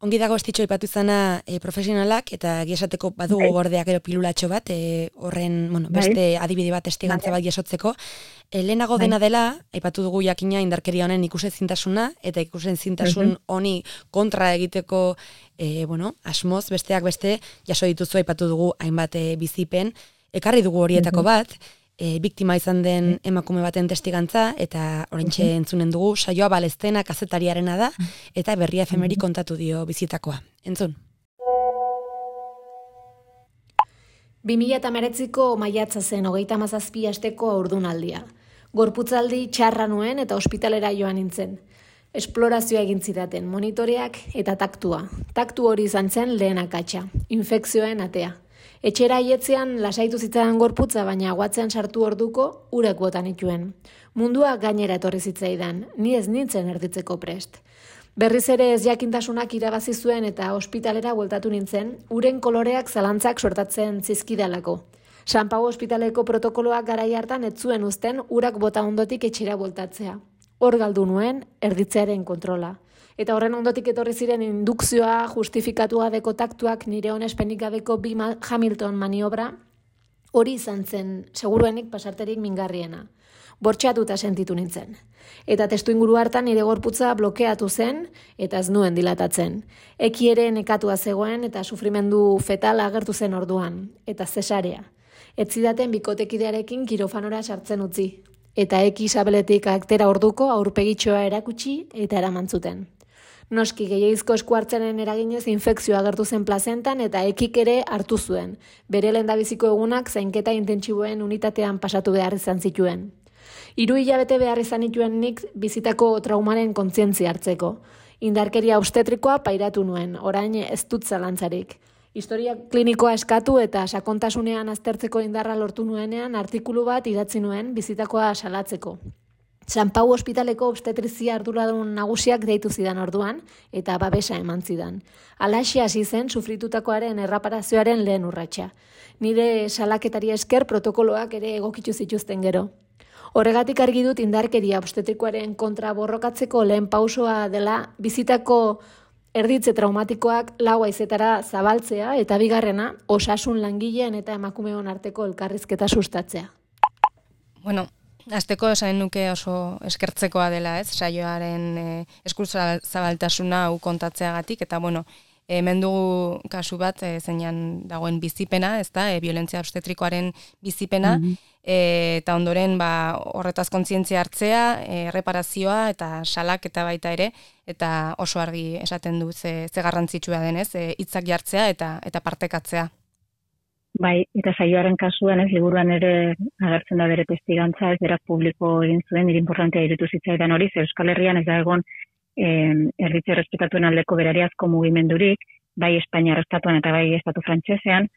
ongi dago estitxo aipatu izana profesionalak, eta giesateko badugu gordeak ero pilulatxo bat, horren, beste adibide bat estigantza bat jasotzeko. Lehenago dena dela, aipatu dugu jakina indarkeria honen ikusezintasuna, eta ikusezintasun honi kontra egiteko, asmoz, besteak beste, jaso dituzu aipatu dugu hainbat bizipen, ekarri dugu horietako bat, biktima izan den emakume baten testigantza, eta oraintxe entzunen dugu, saioa baleztena kazetariarena da, eta Berria efemeri kontatu dio bizitakoa. Entzun. 2019ko maiatza zen 37 asteko haurdunaldia. Gorputzaldi txarra nuen eta ospitalera joan nintzen. Esplorazioa egin zidaten, monitoreak eta taktua. Taktu hori izan zen lehen akatsa, infekzioen atea. Etxera aietzean lasaitu zitzaidan gorputza, baina aguatzean sartu orduko urek botan ituen. Mundua gainera etorri zitzaidan, ni ez nintzen erditzeko prest. Berriz ere ez jakintasunak irabazi zuen eta ospitalera bueltatu nintzen, uren koloreak zalantzak sortatzen zizkidalako. San Pau ospitaleko protokoloak garai hartan ez zuen uzten urak bota ondotik etxera bueltatzea. Hor galdu nuen erditzearen kontrola. Eta horren ondotik etorri ziren indukzioa, justifikatu gabeko taktuak, nire onespenik gabeko bi Hamilton maniobra, hori izan zen, seguruenik pasarterik mingarriena. Bortxatuta sentitu nintzen. Eta testuinguru hartan nire gorputza blokeatu zen, eta ez nuen dilatatzen. Eki ere nekatua zegoen, eta sufrimendu fetala agertu zen orduan, eta zesarea. Ez zidaten bikotekidearekin kirofanora sartzen utzi. Eta eki sabeletik aktera orduko aurpegitxoa erakutsi eta eramantzuten. Noski gehiagizko eskuartzaren eraginez infekzioa agertu zen plazentan eta ekik ere hartu zuen. Bere lehendabiziko egunak zainketa intentsiboen unitatean pasatu behar izan zituen. 3 hilabete behar izan nituen nik bizitako traumaren kontzientzia hartzeko. Indarkeria obstetrikoa pairatu nuen, orain ez dut zalantzarik. Historia klinikoa eskatu eta sakontasunean aztertzeko indarra lortu nuenean artikulu bat idatzi nuen bizitakoa salatzeko. San Pau ospitaleko obstetrizia arduradun nagusiak deitu zidan orduan eta babesa eman zidan. Halaxe hasi zen sufritutakoaren erreparazioaren lehen urratsa. Nire salaketari esker protokoloak ere egokitu zituzten gero. Horregatik argi dut indarkeria obstetrikoaren kontra borrokatzeko lehen pausoa dela bizitako erditze traumatikoak 4 haizetara zabaltzea eta bigarrena osasun langileen eta emakumeon arteko elkarrizketa sustatzea. Bueno, hasteko esan nuke oso eskertzekoa dela, ez? Saioaren eskuzabaltasuna hau kontatzeagatik eta Hemen dugu kasu bat, zeinan dagoen bizipena, ezta, violentzia obstetrikoaren bizipena, eta ondoren horretaz kontzientzia hartzea, erreparazioa eta salak eta baita ere, eta oso argi esaten du ze garrantzitsua denez, hitzak jartzea eta partekatzea. Bai, eta saioaren kasuan liburuan ere agertzen da bere testigantza, ez berak publiko egin zuen, nire importantea iruditu zitzaidan hori, ze Euskal Herrian ez da egon erritze errespetatuen aldeko berariazko mugimendurik, bai Espainiar estatuan eta bai estatu frantsesean,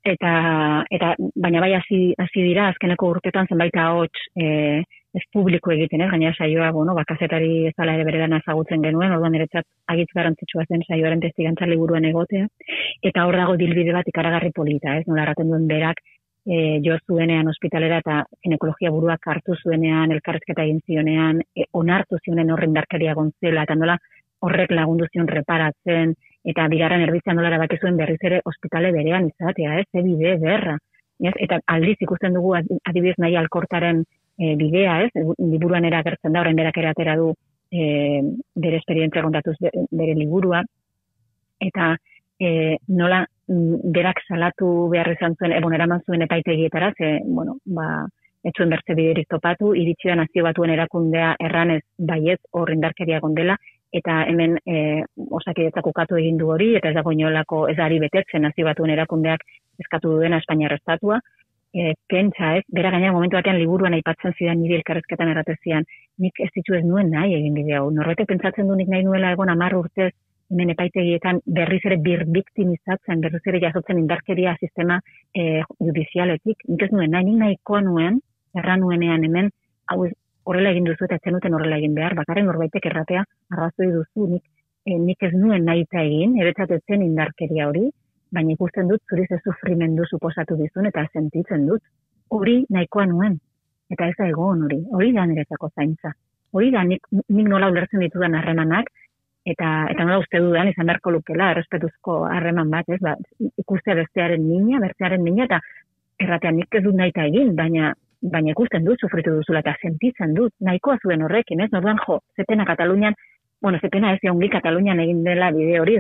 eta baina bai hasi dira azkeneko urtetan zenbait ahots ez publiko egiten, gainera saioa, kazetari ez dela ere bere lana ezagutzen genuen, orduan niretzat agitz garrantzitsua zen saioaren testigantza liburuan egotea, eta hor dago dilbide bat ikaragarri polita, nola erraten duen berak, jo zuenean ospitalera eta ginekologia buruak hartu zuenean, elkarrezketa egin zionean, onartu zionen horren indarkeria gontzela, eta nola horrek lagundu zion reparatzen, eta bigarren erbitzea nola erabaki zuen berriz ere ospitale berean izatea, ze bide berra. Eta aldiz ikusten dugu adibidez nahi alkortaren bidea, liburuan era agertzen da, orain berak ere atera du bere esperientzia kontatuz bere liburua, eta nola berak salatu behar izan zuen, eraman zuen epaitegietara, ez zuen bertze biderik topatu, iritsi da Nazio Batuen erakundea erranez baiet hor indarkeria gondela, eta hemen Osakidetzak ukatu egin du hori, eta ez dago inolako ez ari betetzen Nazio Batuen erakundeak eskatu duena Espainiar estatua, pentsa bera gainera momentu batean liburuan aipatzen zidan nire elkarrezketan erratezian, nik ez ditu ez nuen nahi egin bide hau, norbetek pentsatzen du nik nahi nuela egon 10 urtez, hemen epaitegietan berriz ere birbiktimizatzen, berriz ere jasotzen indarkeria sistema judizialetik, nik ez nuen nahi, nik nahikoa nuen, erran nuenean hemen, hau horrela egin duzu eta zenuten horrela egin behar, bakarren norbaitek erratea arrazoi duzu, nik ez nuen nahi eta egin, eretzatetzen indarkeria hori, baina ikusten dut zuri ze sufrimendu suposatu dizun eta sentitzen dut. Hori nahikoa nuen, eta ez da egon hori da niretzako zaintza. Hori da nik nola ulertzen ditudan harremanak, eta nola uste dudan izan beharko lukela, errespetuzko harreman bat, ikustea bestearen mina, eta erratean nik ez dut nahi eta egin, baina ikusten dut, sufritu duzula, eta sentitzen dut, nahikoa zuen horrekin, norduan zetena Katalunian, zetena ez ongi Katalunian egin dela bide hori,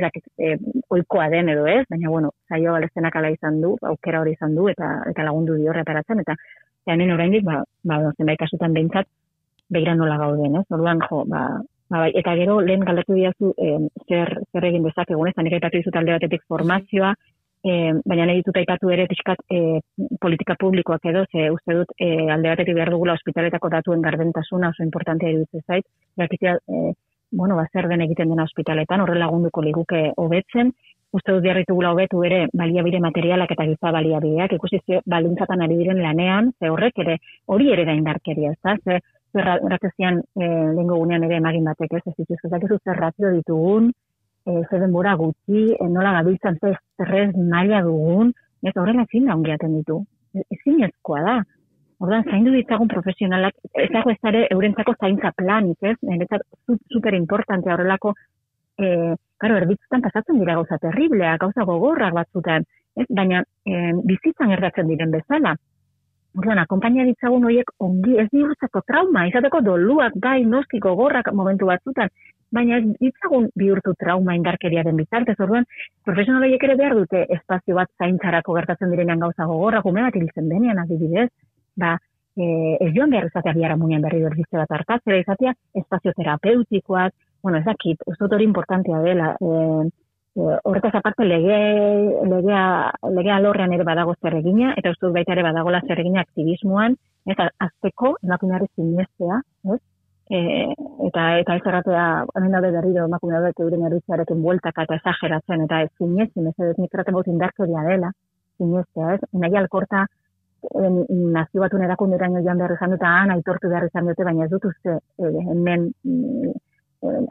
oikoa den edo ez, baina saio balestenak ala izan du, aukera hori izan du, eta lagundu dio reparatzen, eta hemen oraindik, zenbait kasutan behintzat, begira nola gauden, norduan eta gero lehen galdetu diazu zer egin dezakegun, ez, nik aipatu dizut alde batetik formazioa, baina nahi ditut aipatu ere pixkat politika publikoak edo, ze uste dut alde batetik behar dugula ospitaletako datuen gardentasuna oso importantea iruditzen zait, jakitea, zer den egiten dena ospitaletan, horre lagunduko liguke hobetzen, uste dut beharritugula hobetu ere baliabide materialak eta giza baliabideak, ikusi baldintzatan ari diren lanean, ze horrek ere, hori ere da indarkeria, ze erratezian lehengo gunean ere emagin batek, ez dituzketak zer ratio ditugun, ze denbora gutxi, nola gabiltzan ze estres maila dugun, ez horrela ezin da ongiaten ditu, ezin ezkoa da. Ordan zaindu ditzagun profesionalak, ez dago ez ere eurentzako zaintza planik, ez? Niretzat super importantea horrelako, erditzutan pasatzen dira gauza terribleak, gauza gogorrak batzutan, ez? Baina bizitzan gertatzen diren bezala. Ordan, akompainia ditzagun horiek ongi, ez bihurtzeko trauma, izateko doluak, bai, noski gogorrak momentu batzutan, baina ez ditzagun bihurtu trauma indarkeriaren bitartez, orduan, profesional horiek ere behar dute espazio bat zaintzarako gertatzen direnean gauza gogorrak, ume bat hiltzen denean adibidez, ez joan behar izatea biharamunean berri berbizte bat hartatzera izatea, espazio terapeutikoak, ez dakit, uste dut hori importantea dela, horretaz aparte legea alorrean ere badago zer egina, eta uste dut baita ere badagola zer egina aktivismoan, eta azteko emakumeari sinestea, eta ez erratea, hemen daude berriro emakumeak euren erritzearekin bueltaka eta esageratzen, eta ez sinesi, mesedez nik erraten baut indarkeria dela, sinestea, ez? Nahi alkorta, Nazio Batuen erakunderaino joan behar izan dut, aitortu behar izan dute, baina ez dut uste hemen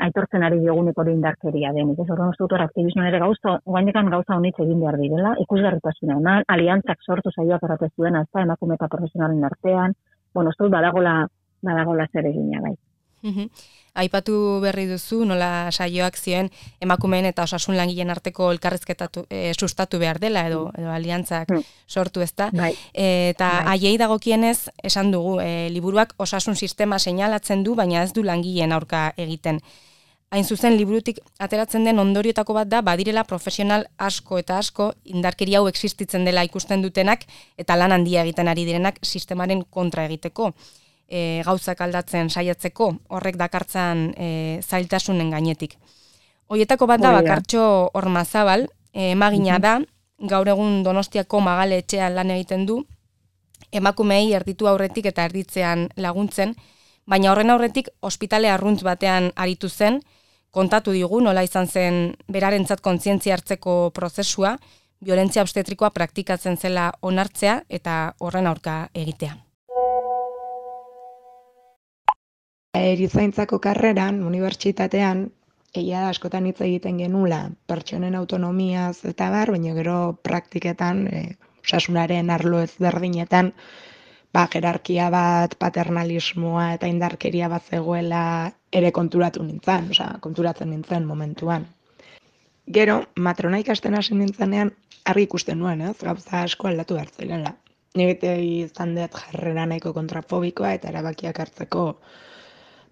aitortzen ari diogunik hori indarkeria denik. Ez horren uste dut aktivismoan ere gauza honitz egin behar direla, ikusgarritasuna eman, aliantzak sortu saioak erratez duena, ez da, emakume eta profesionalen artean, uste dut badagola zer egina bai. Aipatu berri duzu, nola saioak zioen emakumeen eta osasun langileen arteko elkarrizketatu sustatu behar dela edo aliantzak sortu ezta. Bai. Eta haiei dagokienez esan dugu, liburuak osasun sistema seinalatzen du, baina ez du langileen aurka egiten. Hain zuzen, liburutik ateratzen den ondorioetako bat da, badirela profesional asko eta asko indarkeria hau existitzen dela ikusten dutenak eta lan handia egiten ari direnak sistemaren kontra egiteko, gauzak aldatzen saiatzeko, horrek dakartzan zailtasunen gainetik. Hoietako bat da Bakartxo Ormazabal, emagina da, gaur egun Donostiako Magale etxean lan egiten du, emakumeei erditu aurretik eta erditzean laguntzen, baina horren aurretik ospitale arruntz batean aritu zen, kontatu digu nola izan zen berarentzat kontzientzia hartzeko prozesua, violentzia obstetrikoa praktikatzen zela onartzea eta horren aurka egitea. Erizaintzako karreran, unibertsitatean, egia da askotan hitz egiten genula pertsonen autonomiaz eta baina gero praktiketan, osasunaren arlo ezberdinetan, jerarkia bat, paternalismoa eta indarkeria bat zegoela ere konturatzen nintzen momentuan. Gero, matrona ikasten hasi nintzenean, argi ikusten nuen, gauza asko aldatu hartzailela. Nik izan dut jarrera nahiko kontrafobikoa eta erabakiak hartzeko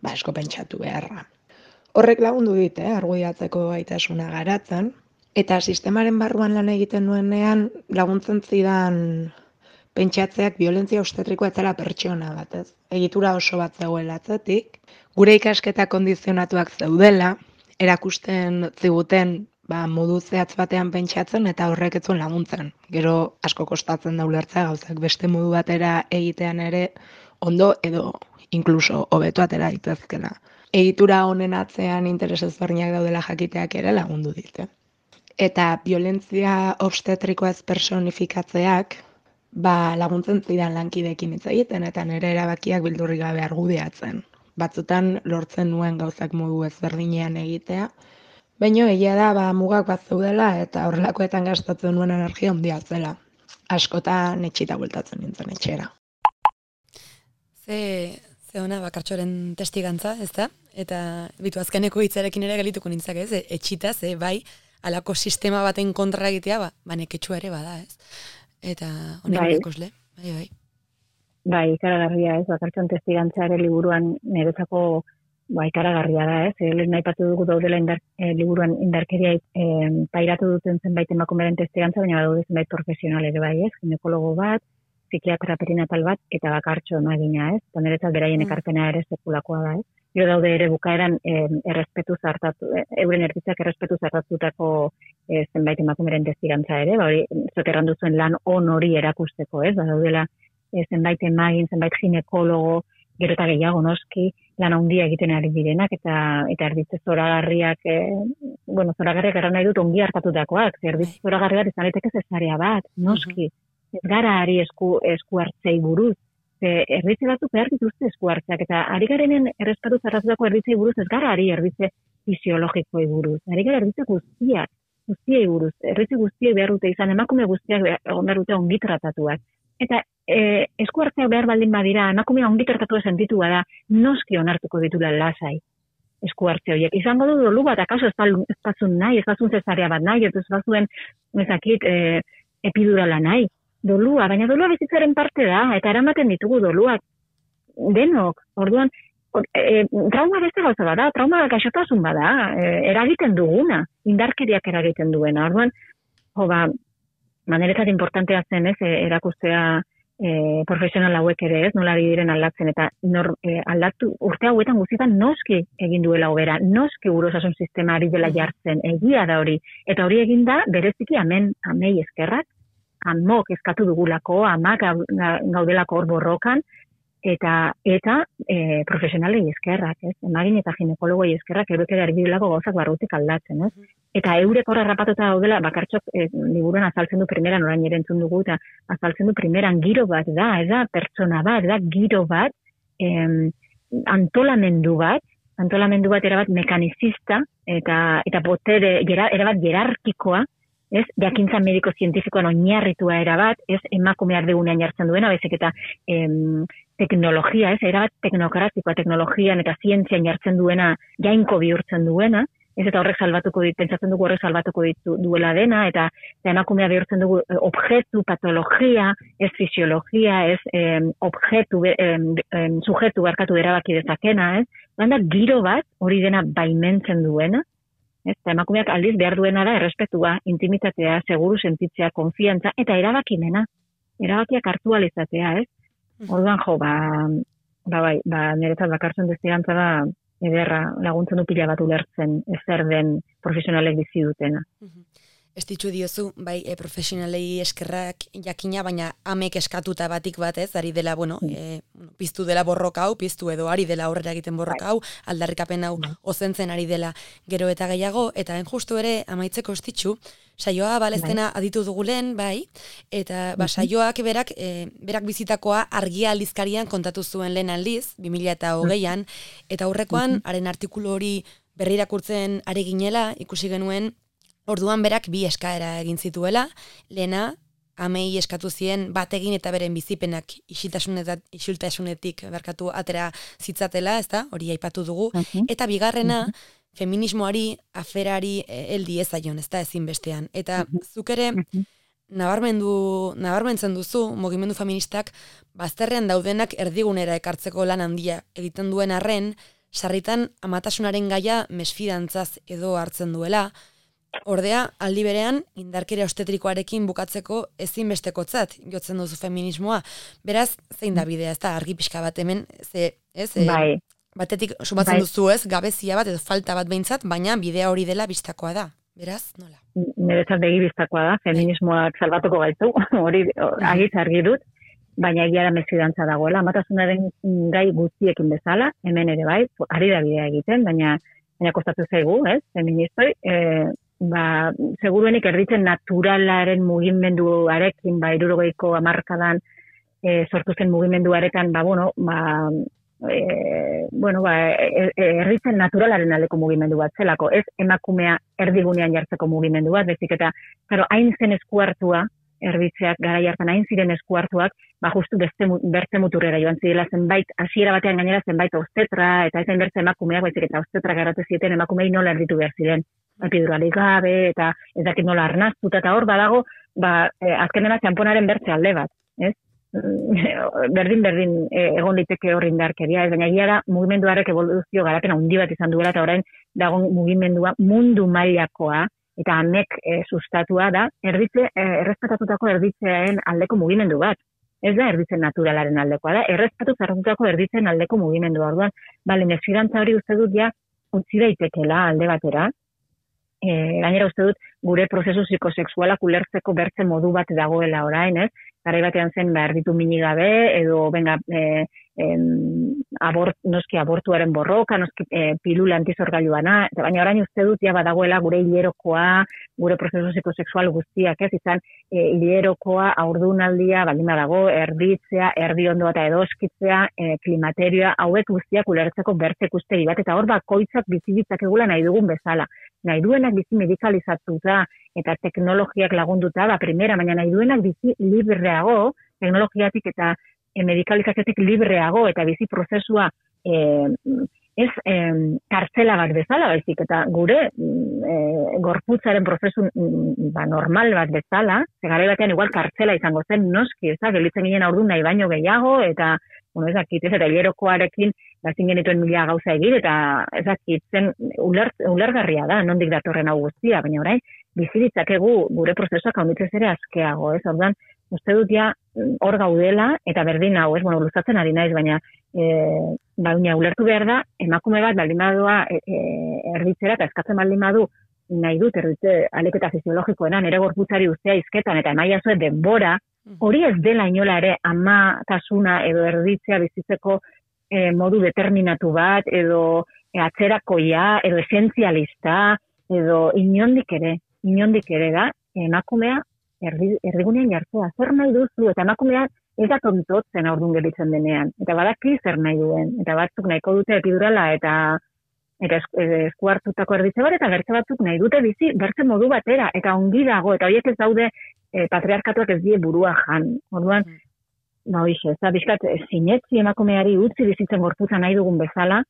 asko pentsatu beharra. Horrek lagundu dit, argudiatzeko gaitasuna garatzen, eta sistemaren barruan lan egiten nuenean laguntzen zidan pentsatzeak violentzia obstetrikoa etzela pertsona bat, ez? Egitura oso bat zegoela atzetik, gure ikasketa kondizionatuak zeudela, erakusten ziguten modu zehatz batean pentsatzen eta horrek ez zuen laguntzen. Gero asko kostatzen da ulertzea gauzak beste modu batera egitean ere ondo edo inkluso hobeto atera daitezkeela. Egitura honen atzean interes ezberdinak daudela jakiteak ere lagundu dit. Eta violentzia obstetrikoa ez personifikatzeak laguntzen zidan lankideekin hitz egiten eta nire erabakiak beldurrik gabe argudiatzen. Batzutan lortzen nuen gauzak modu ezberdinean egitea, baina egia da mugak bat zeudela eta horrelakoetan gastatzen nuen energia handia zela. Askotan etxita bueltatzen nintzen etxera. Ze ona Bakartxoren testigantza, ez da? Eta bitu azkeneko hitzarekin ere gelituko nintzak, ez? Etxita, bai, alako sistema baten kontra egitea, neketsua ere bada, ez? Eta honen ikusle, bai. Bai, ikaragarria, ez? Bakartxon testigantza ere liburuan niretzako ikaragarria da, ez? Lehen aipatu dugu daudela liburuan indarkeria pairatu duten zenbait emakumeren testigantza, baina daude zenbait profesional ere bai, ez? Ginekologo bat, psikiatra perinatal bat, eta Bakartxo emagina, ez? Eta niretzat beraien ekarpena ere sekulakoa da, ez? Gero daude ere bukaeran euren erditzak errespetu zartatutako zenbait emakumeren testigantza ere, hori zoterran duzuen lan on hori erakusteko, ez? Daudela zenbait emagin, zenbait ginekologo, gero eta gehiago noski, lan handia egiten ari direnak, eta erditze zoragarriak, zoragarriak erran nahi dut ongi hartatutakoak, erditze zoragarri bat izan daiteke zesarea bat, noski, ez gara ari esku hartzei buruz, erditze batzuk behar dituzte esku hartzeak, eta ari garenen errespatu zarratutako erditzei buruz ez gara ari erditze fisiologikoi buruz, ari gara erditze guztiei buruz, erditze guztiei behar dute izan, emakume guztiak behar dute ongi tratatuak. Eta esku hartzeak behar baldin badira, emakumea ongi tratatu sentitu da, noski onartuko ditula lasai esku hartze horiek. Izango du dolu bat, akaso ez bazun nahi, ez bazun zesarea bat nahi, ez bazuen epidurala nahi. Dolua, baina dolua bizitzaren parte da, eta eramaten ditugu doluak denok. Orduan, trauma beste gauza bada, trauma gaixotasun bada, eragiten duguna, indarkeriak eragiten duena. Orduan, maneretzat importantea zen, ez, erakustea profesional hauek ere, ez, nola diren aldatzen, eta aldatu urte hauetan guztietan noski egin duela hobera, noski gure osasun sistema ari dela jartzen, egia da hori, eta hori egin da bereziki amei eskerrak, amok eskatu dugulako, amak gaudelako hor borrokan, eta profesionalei eskerrak, ez? Emagin eta ginekologoi eskerrak eurek ere ari direlako gauzak barrutik aldatzen, ez? Eta eurek horra rapatuta daudela, Bakartxok liburuan azaltzen du primeran, orain ere entzun dugu, eta azaltzen du primeran giro bat da, ez da pertsona bat, da giro bat, antolamendu bat erabat mekanizista, eta botere, erabat jerarkikoa, ez, jakintza mediko-zientifikoan oinarritua erabat, ez, emakume ardigunean jartzen duena, bezik eta teknologia, ez, erabat teknokratikoa, teknologian eta zientzian jartzen duena, jainko bihurtzen duena, ez eta horrek salbatuko pentsatzen dugu horrek salbatuko duela dena, eta emakumea bihurtzen dugu objektu, patologia, ez fisiologia, ez sujetu barkatu erabaki dezakena, ez? Da giro bat hori dena baimentzen duena, ez? Eta emakumeak aldiz behar duena da errespetua, intimitatea, seguru sentitzea, konfiantza, eta erabakimena, erabakiak hartu alizatea, ez? Orduan niretzat bakartzen destigantza da, ederra laguntzen du pila bat ulertzen zer den profesionalek bizi dutena. Estitzu diozu, bai, profesionalei eskerrak jakina, baina amek eskatuta batik batez, ari dela, piztu dela borroka hau, piztu edo ari dela aurrera egiten borroka hau, aldarrikapen hau ozentzen ari dela gero eta gehiago, eta justu ere amaitzeko estitzu, saioa baleztena aditu dugulen, bai, eta saioak berak bizitakoa Argia aldizkarian kontatu zuen lehen aldiz, 2020an, eta aurrekoan, haren artikulu hori berrirakurtzen ari ginela, ikusi genuen, orduan berak bi eskaera egin zituela, lehena, amei eskatu zien bategin eta beren bizipenak isiltasunetik barkatu atera zitzatela, ezta? Hori aipatu dugu, eta bigarrena, feminismoari, aferari heldi ezaion, ezta ezinbestean. Eta zuk ere nabarmentzen duzu, mugimendu feministak bazterrean daudenak erdigunera ekartzeko lan handia egiten duen arren, sarritan amatasunaren gaia mesfidantzaz edo hartzen duela. Ordea, aldi berean, indarkeria obstetrikoarekin bukatzeko ezinbestekotzat jotzen duzu feminismoa. Beraz, zein da bidea, ez da, argi pixka bat hemen, Bai. Batetik sumatzen duzu ez, gabezia bat edo falta bat behintzat, baina bidea hori dela bistakoa da. Beraz, nola? Niretzat begi bistakoa da, feminismoak salbatuko gaitu, hori agitz argi dut, baina egia da mesfidantza dagoela. Amatasunaren gai guztiekin bezala, hemen ere bai, ari da bidea egiten, baina kostatu zaigu, ez, feministoi, seguruenik erditzen naturalaren mugimenduarekin, 60ko hamarkadan sortu zen mugimenduarekan, erditzen naturalaren aldeko mugimendu bat zelako, ez emakumea erdigunean jartzeko mugimendu bat, bezik eta, hain zen eskuartua, erditzeak garai hartan hain ziren eskuartuak, justu bertze muturrera joan zirela zenbait, hasiera batean gainera zenbait obstetra, eta ezen bertze emakumeak, baizik eta obstetra garatu zieten emakumei nola erditu behar ziren. Epiduralik gabe, eta ez dakit nola arnaztuta, eta hor badago, azkenena txamponaren bertze alde bat, ez? Berdin egon liteke hor indarkeria, ez baina egia da mugimenduarek evoluzio garapen handi bat izan duela, eta orain dago mugimendua mundu mailakoa, eta amek sustatua da, errespetatutako erditzearen aldeko mugimendu bat. Ez da erditzen naturalaren aldekoa da, errespetatu zarratutako erditzen aldeko mugimendua. Orduan, mesfidantza hori uste dut ja utzi daitekela alde batera, gainera uste dut gure prozesu psikosexualak ulertzeko bertze modu bat dagoela orain, ez? Garai batean zen erditu mini gabe, edo noski abortuaren borroka, noski pilula antizorgailuana, baina orain uste dut ja badagoela gure hilerokoa, gure prozesu psikosexual guztiak, ez? Izan hilerokoa, haurdunaldia, baldin badago, erditzea, erdiondo eta edoskitzea, klimaterioa, hauek guztiak ulertzeko bertze ikustegi bat, eta hor bakoitzak bizi ditzakegula nahi dugun bezala. Nahi duenak bizi medikalizatuta eta teknologiak lagunduta, primera, baina nahi duenak bizi libreago, teknologiatik eta medikalizaziotik libreago, eta bizi prozesua ez kartzela bat bezala, baizik, eta gure gorputzaren prozesu normal bat bezala, garai batean igual kartzela izango zen, noski, gelitzen ginen aurdu nahi baino gehiago, eta eta hilerokoarekin bazin genituen mila gauza egin, eta zen ulergarria da, nondik datorren hau guztia, baina orain, bizi ditzakegu gure prozesuak haunditzez ere askeago, ez? Orduan, uste dut ja hor gaudela, eta berdin hau, ez? Luzatzen ari naiz, baina ulertu behar da, emakume bat baldin badua erditzera, eta eskatzen baldin badu nahi dut erditze aliketa fisiologikoenan, ere gorputzari ustea izketan, eta emaia zuen denbora, hori ez dela inola ere amatasuna edo erditzea bizitzeko modu determinatu bat, edo atzerakoia, edo esentzialista, edo inondik ere da, emakumea erdigunean jartzea, zer nahi duzu, eta emakumea ez da tontotzen aurdun gelitzen denean, eta badaki zer nahi duen, eta batzuk nahiko dute epidurala, eta esku hartutako erditze bat, eta bertze batzuk nahi dute bizi, bertze modu batera, eta ongi dago, eta horiek ez daude patriarkatuak ez die burua jan. Orduan, bizkat, sinetzi emakumeari utzi bizitzen gorputza nahi dugun bezala,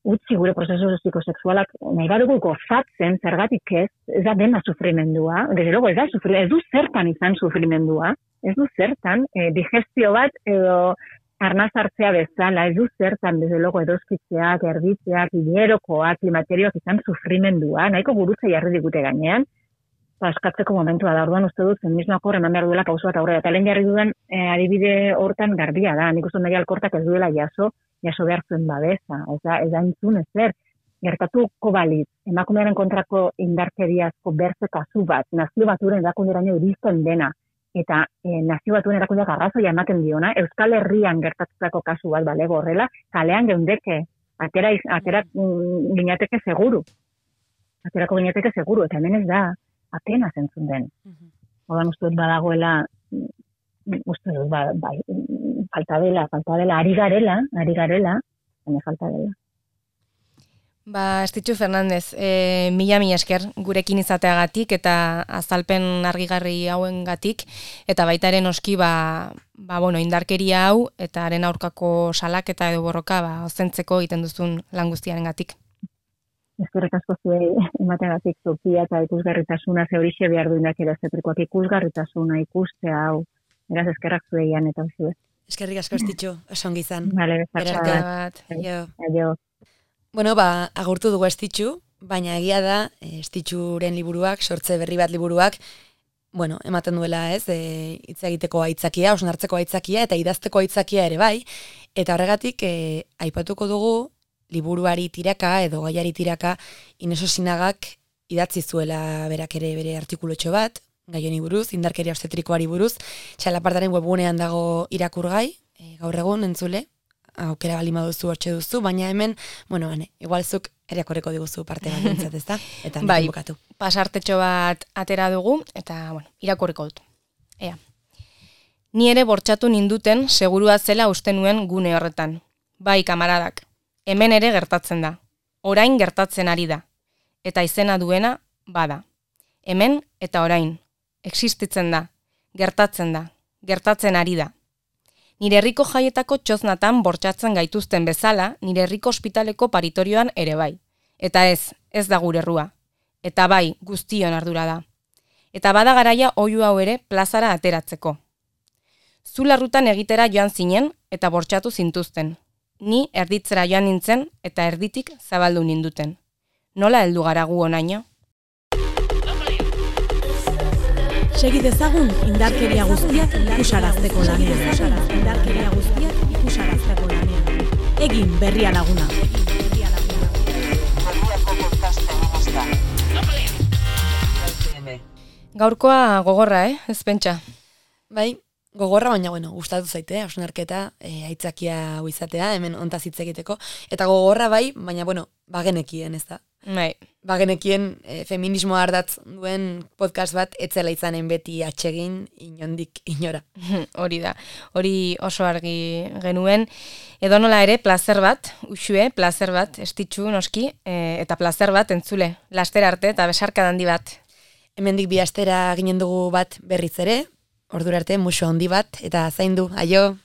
utzi gure prozesu psikosexualak nahi badugu gozatzen, zergatik ez da dena sufrimendua, desde luego ez du zertan izan sufrimendua, ez du zertan, digestio bat edo arnaz hartzea bezala, ez du zertan, desde luego edoskitzeak, erditzeak, hilerokoak, klimaterioak izan sufrimendua, nahiko gurutza jarri digute gainean, askatzeko momentua da, orduan uste dut feminismoak hor eman behar duela pauso bat aurrera, eta lehen jarri dudan adibide hortan garbia da, nik uste Maria Alkortak ez duela jaso behar zuen babesa, ez da entzun ezer, gertatuko balitz, emakumearen kontrako indarkeriazko berze kasu bat, nazio baturen erakunderaino iristen dena, eta nazio batuen erakundeak arrazoia ematen diona, Euskal Herrian gertatutako kasu bat balego horrela, kalean geundeke, atera ginateke seguru, eta hemen ez da, apenas entzun den. Ordan uste dut badagoela, uste dut bai, falta dela, ari garela, baina falta dela. Estitxu Fernandez, mila esker gurekin izateagatik eta azalpen argigarri hauengatik, eta baita ere noski indarkeria hau eta haren aurkako salaketa edo borroka ozentzeko egiten duzun lan guztiarengatik. Eskerrik asko zuei emateagatik tokia eta ikusgarritasuna ze horixe behar duenak erazetrikoak ikusgarritasuna ikustea hau. Beraz eskerrak zueian eta zuez. Eskerrik asko Estitxu, oso ongi izan. Vale, bat. Aio. Bueno, agurtu dugu Estitxu, baina egia da Estitxuren liburuak, sortze berri bat liburuak, ematen duela hitz egiteko aitzakia, osnartzeko aitzakia eta idazteko aitzakia ere bai, eta horregatik aipatuko dugu liburuari tiraka edo gaiari tiraka Ines Osinagak idatzi zuela berak ere bere artikulutxo bat, gai honi buruz, indarkeria obstetrikoari buruz, Txalapartaren webgunean dago irakurgai, gaur egun entzule, aukera bali maduzu hortxe duzu, baina hemen, igual zuk irakorreko diguzu parte bat dintzat, ezta? Eta bai, bukatu. Pasartetxo bat atera dugu, eta, irakorreko dut. Ea. Ni ere bortxatu ninduten segurua zela uste nuen gune horretan. Bai, kamaradak. Hemen ere gertatzen da. Orain gertatzen ari da. Eta izena duena, bada. Hemen eta orain. Existitzen da. Gertatzen da. Gertatzen ari da. Nire herriko jaietako txoznatan bortxatzen gaituzten bezala, nire herriko ospitaleko paritorioan ere bai. Eta ez da gure errua. Eta bai, guztion ardura da. Eta bada garaia oihu hau ere plazara ateratzeko. Zu larrutan egitera joan zinen eta bortxatu zintuzten. Ni erditzera joan nintzen eta erditik zabaldu ninduten. Nola heldu gara gu honaino? Segi dezagun indarkeria guztiak ikusarazteko lanean. Egin berria laguna. Gaurkoa gogorra, ez pentsa? Bai, gogorra, baina, gustatu zaite, hausnarketa, aitzakia hau izatea, hemen ontaz hitz egiteko. Eta gogorra bai, baina, bagenekien, ez da? Bai. Bagenekien feminismoa ardatz duen podcast bat, etzela izanen beti atsegin, inondik inora. Hori da, hori oso argi genuen. Edo nola ere, plazer bat, usue, plazer bat, Estitxu noski, eta plazer bat entzule, laster arte eta besarka handi bat. Hemendik bi astera ginen dugu bat berriz ere, ordura arte musu handi bat, eta zaindu, aio!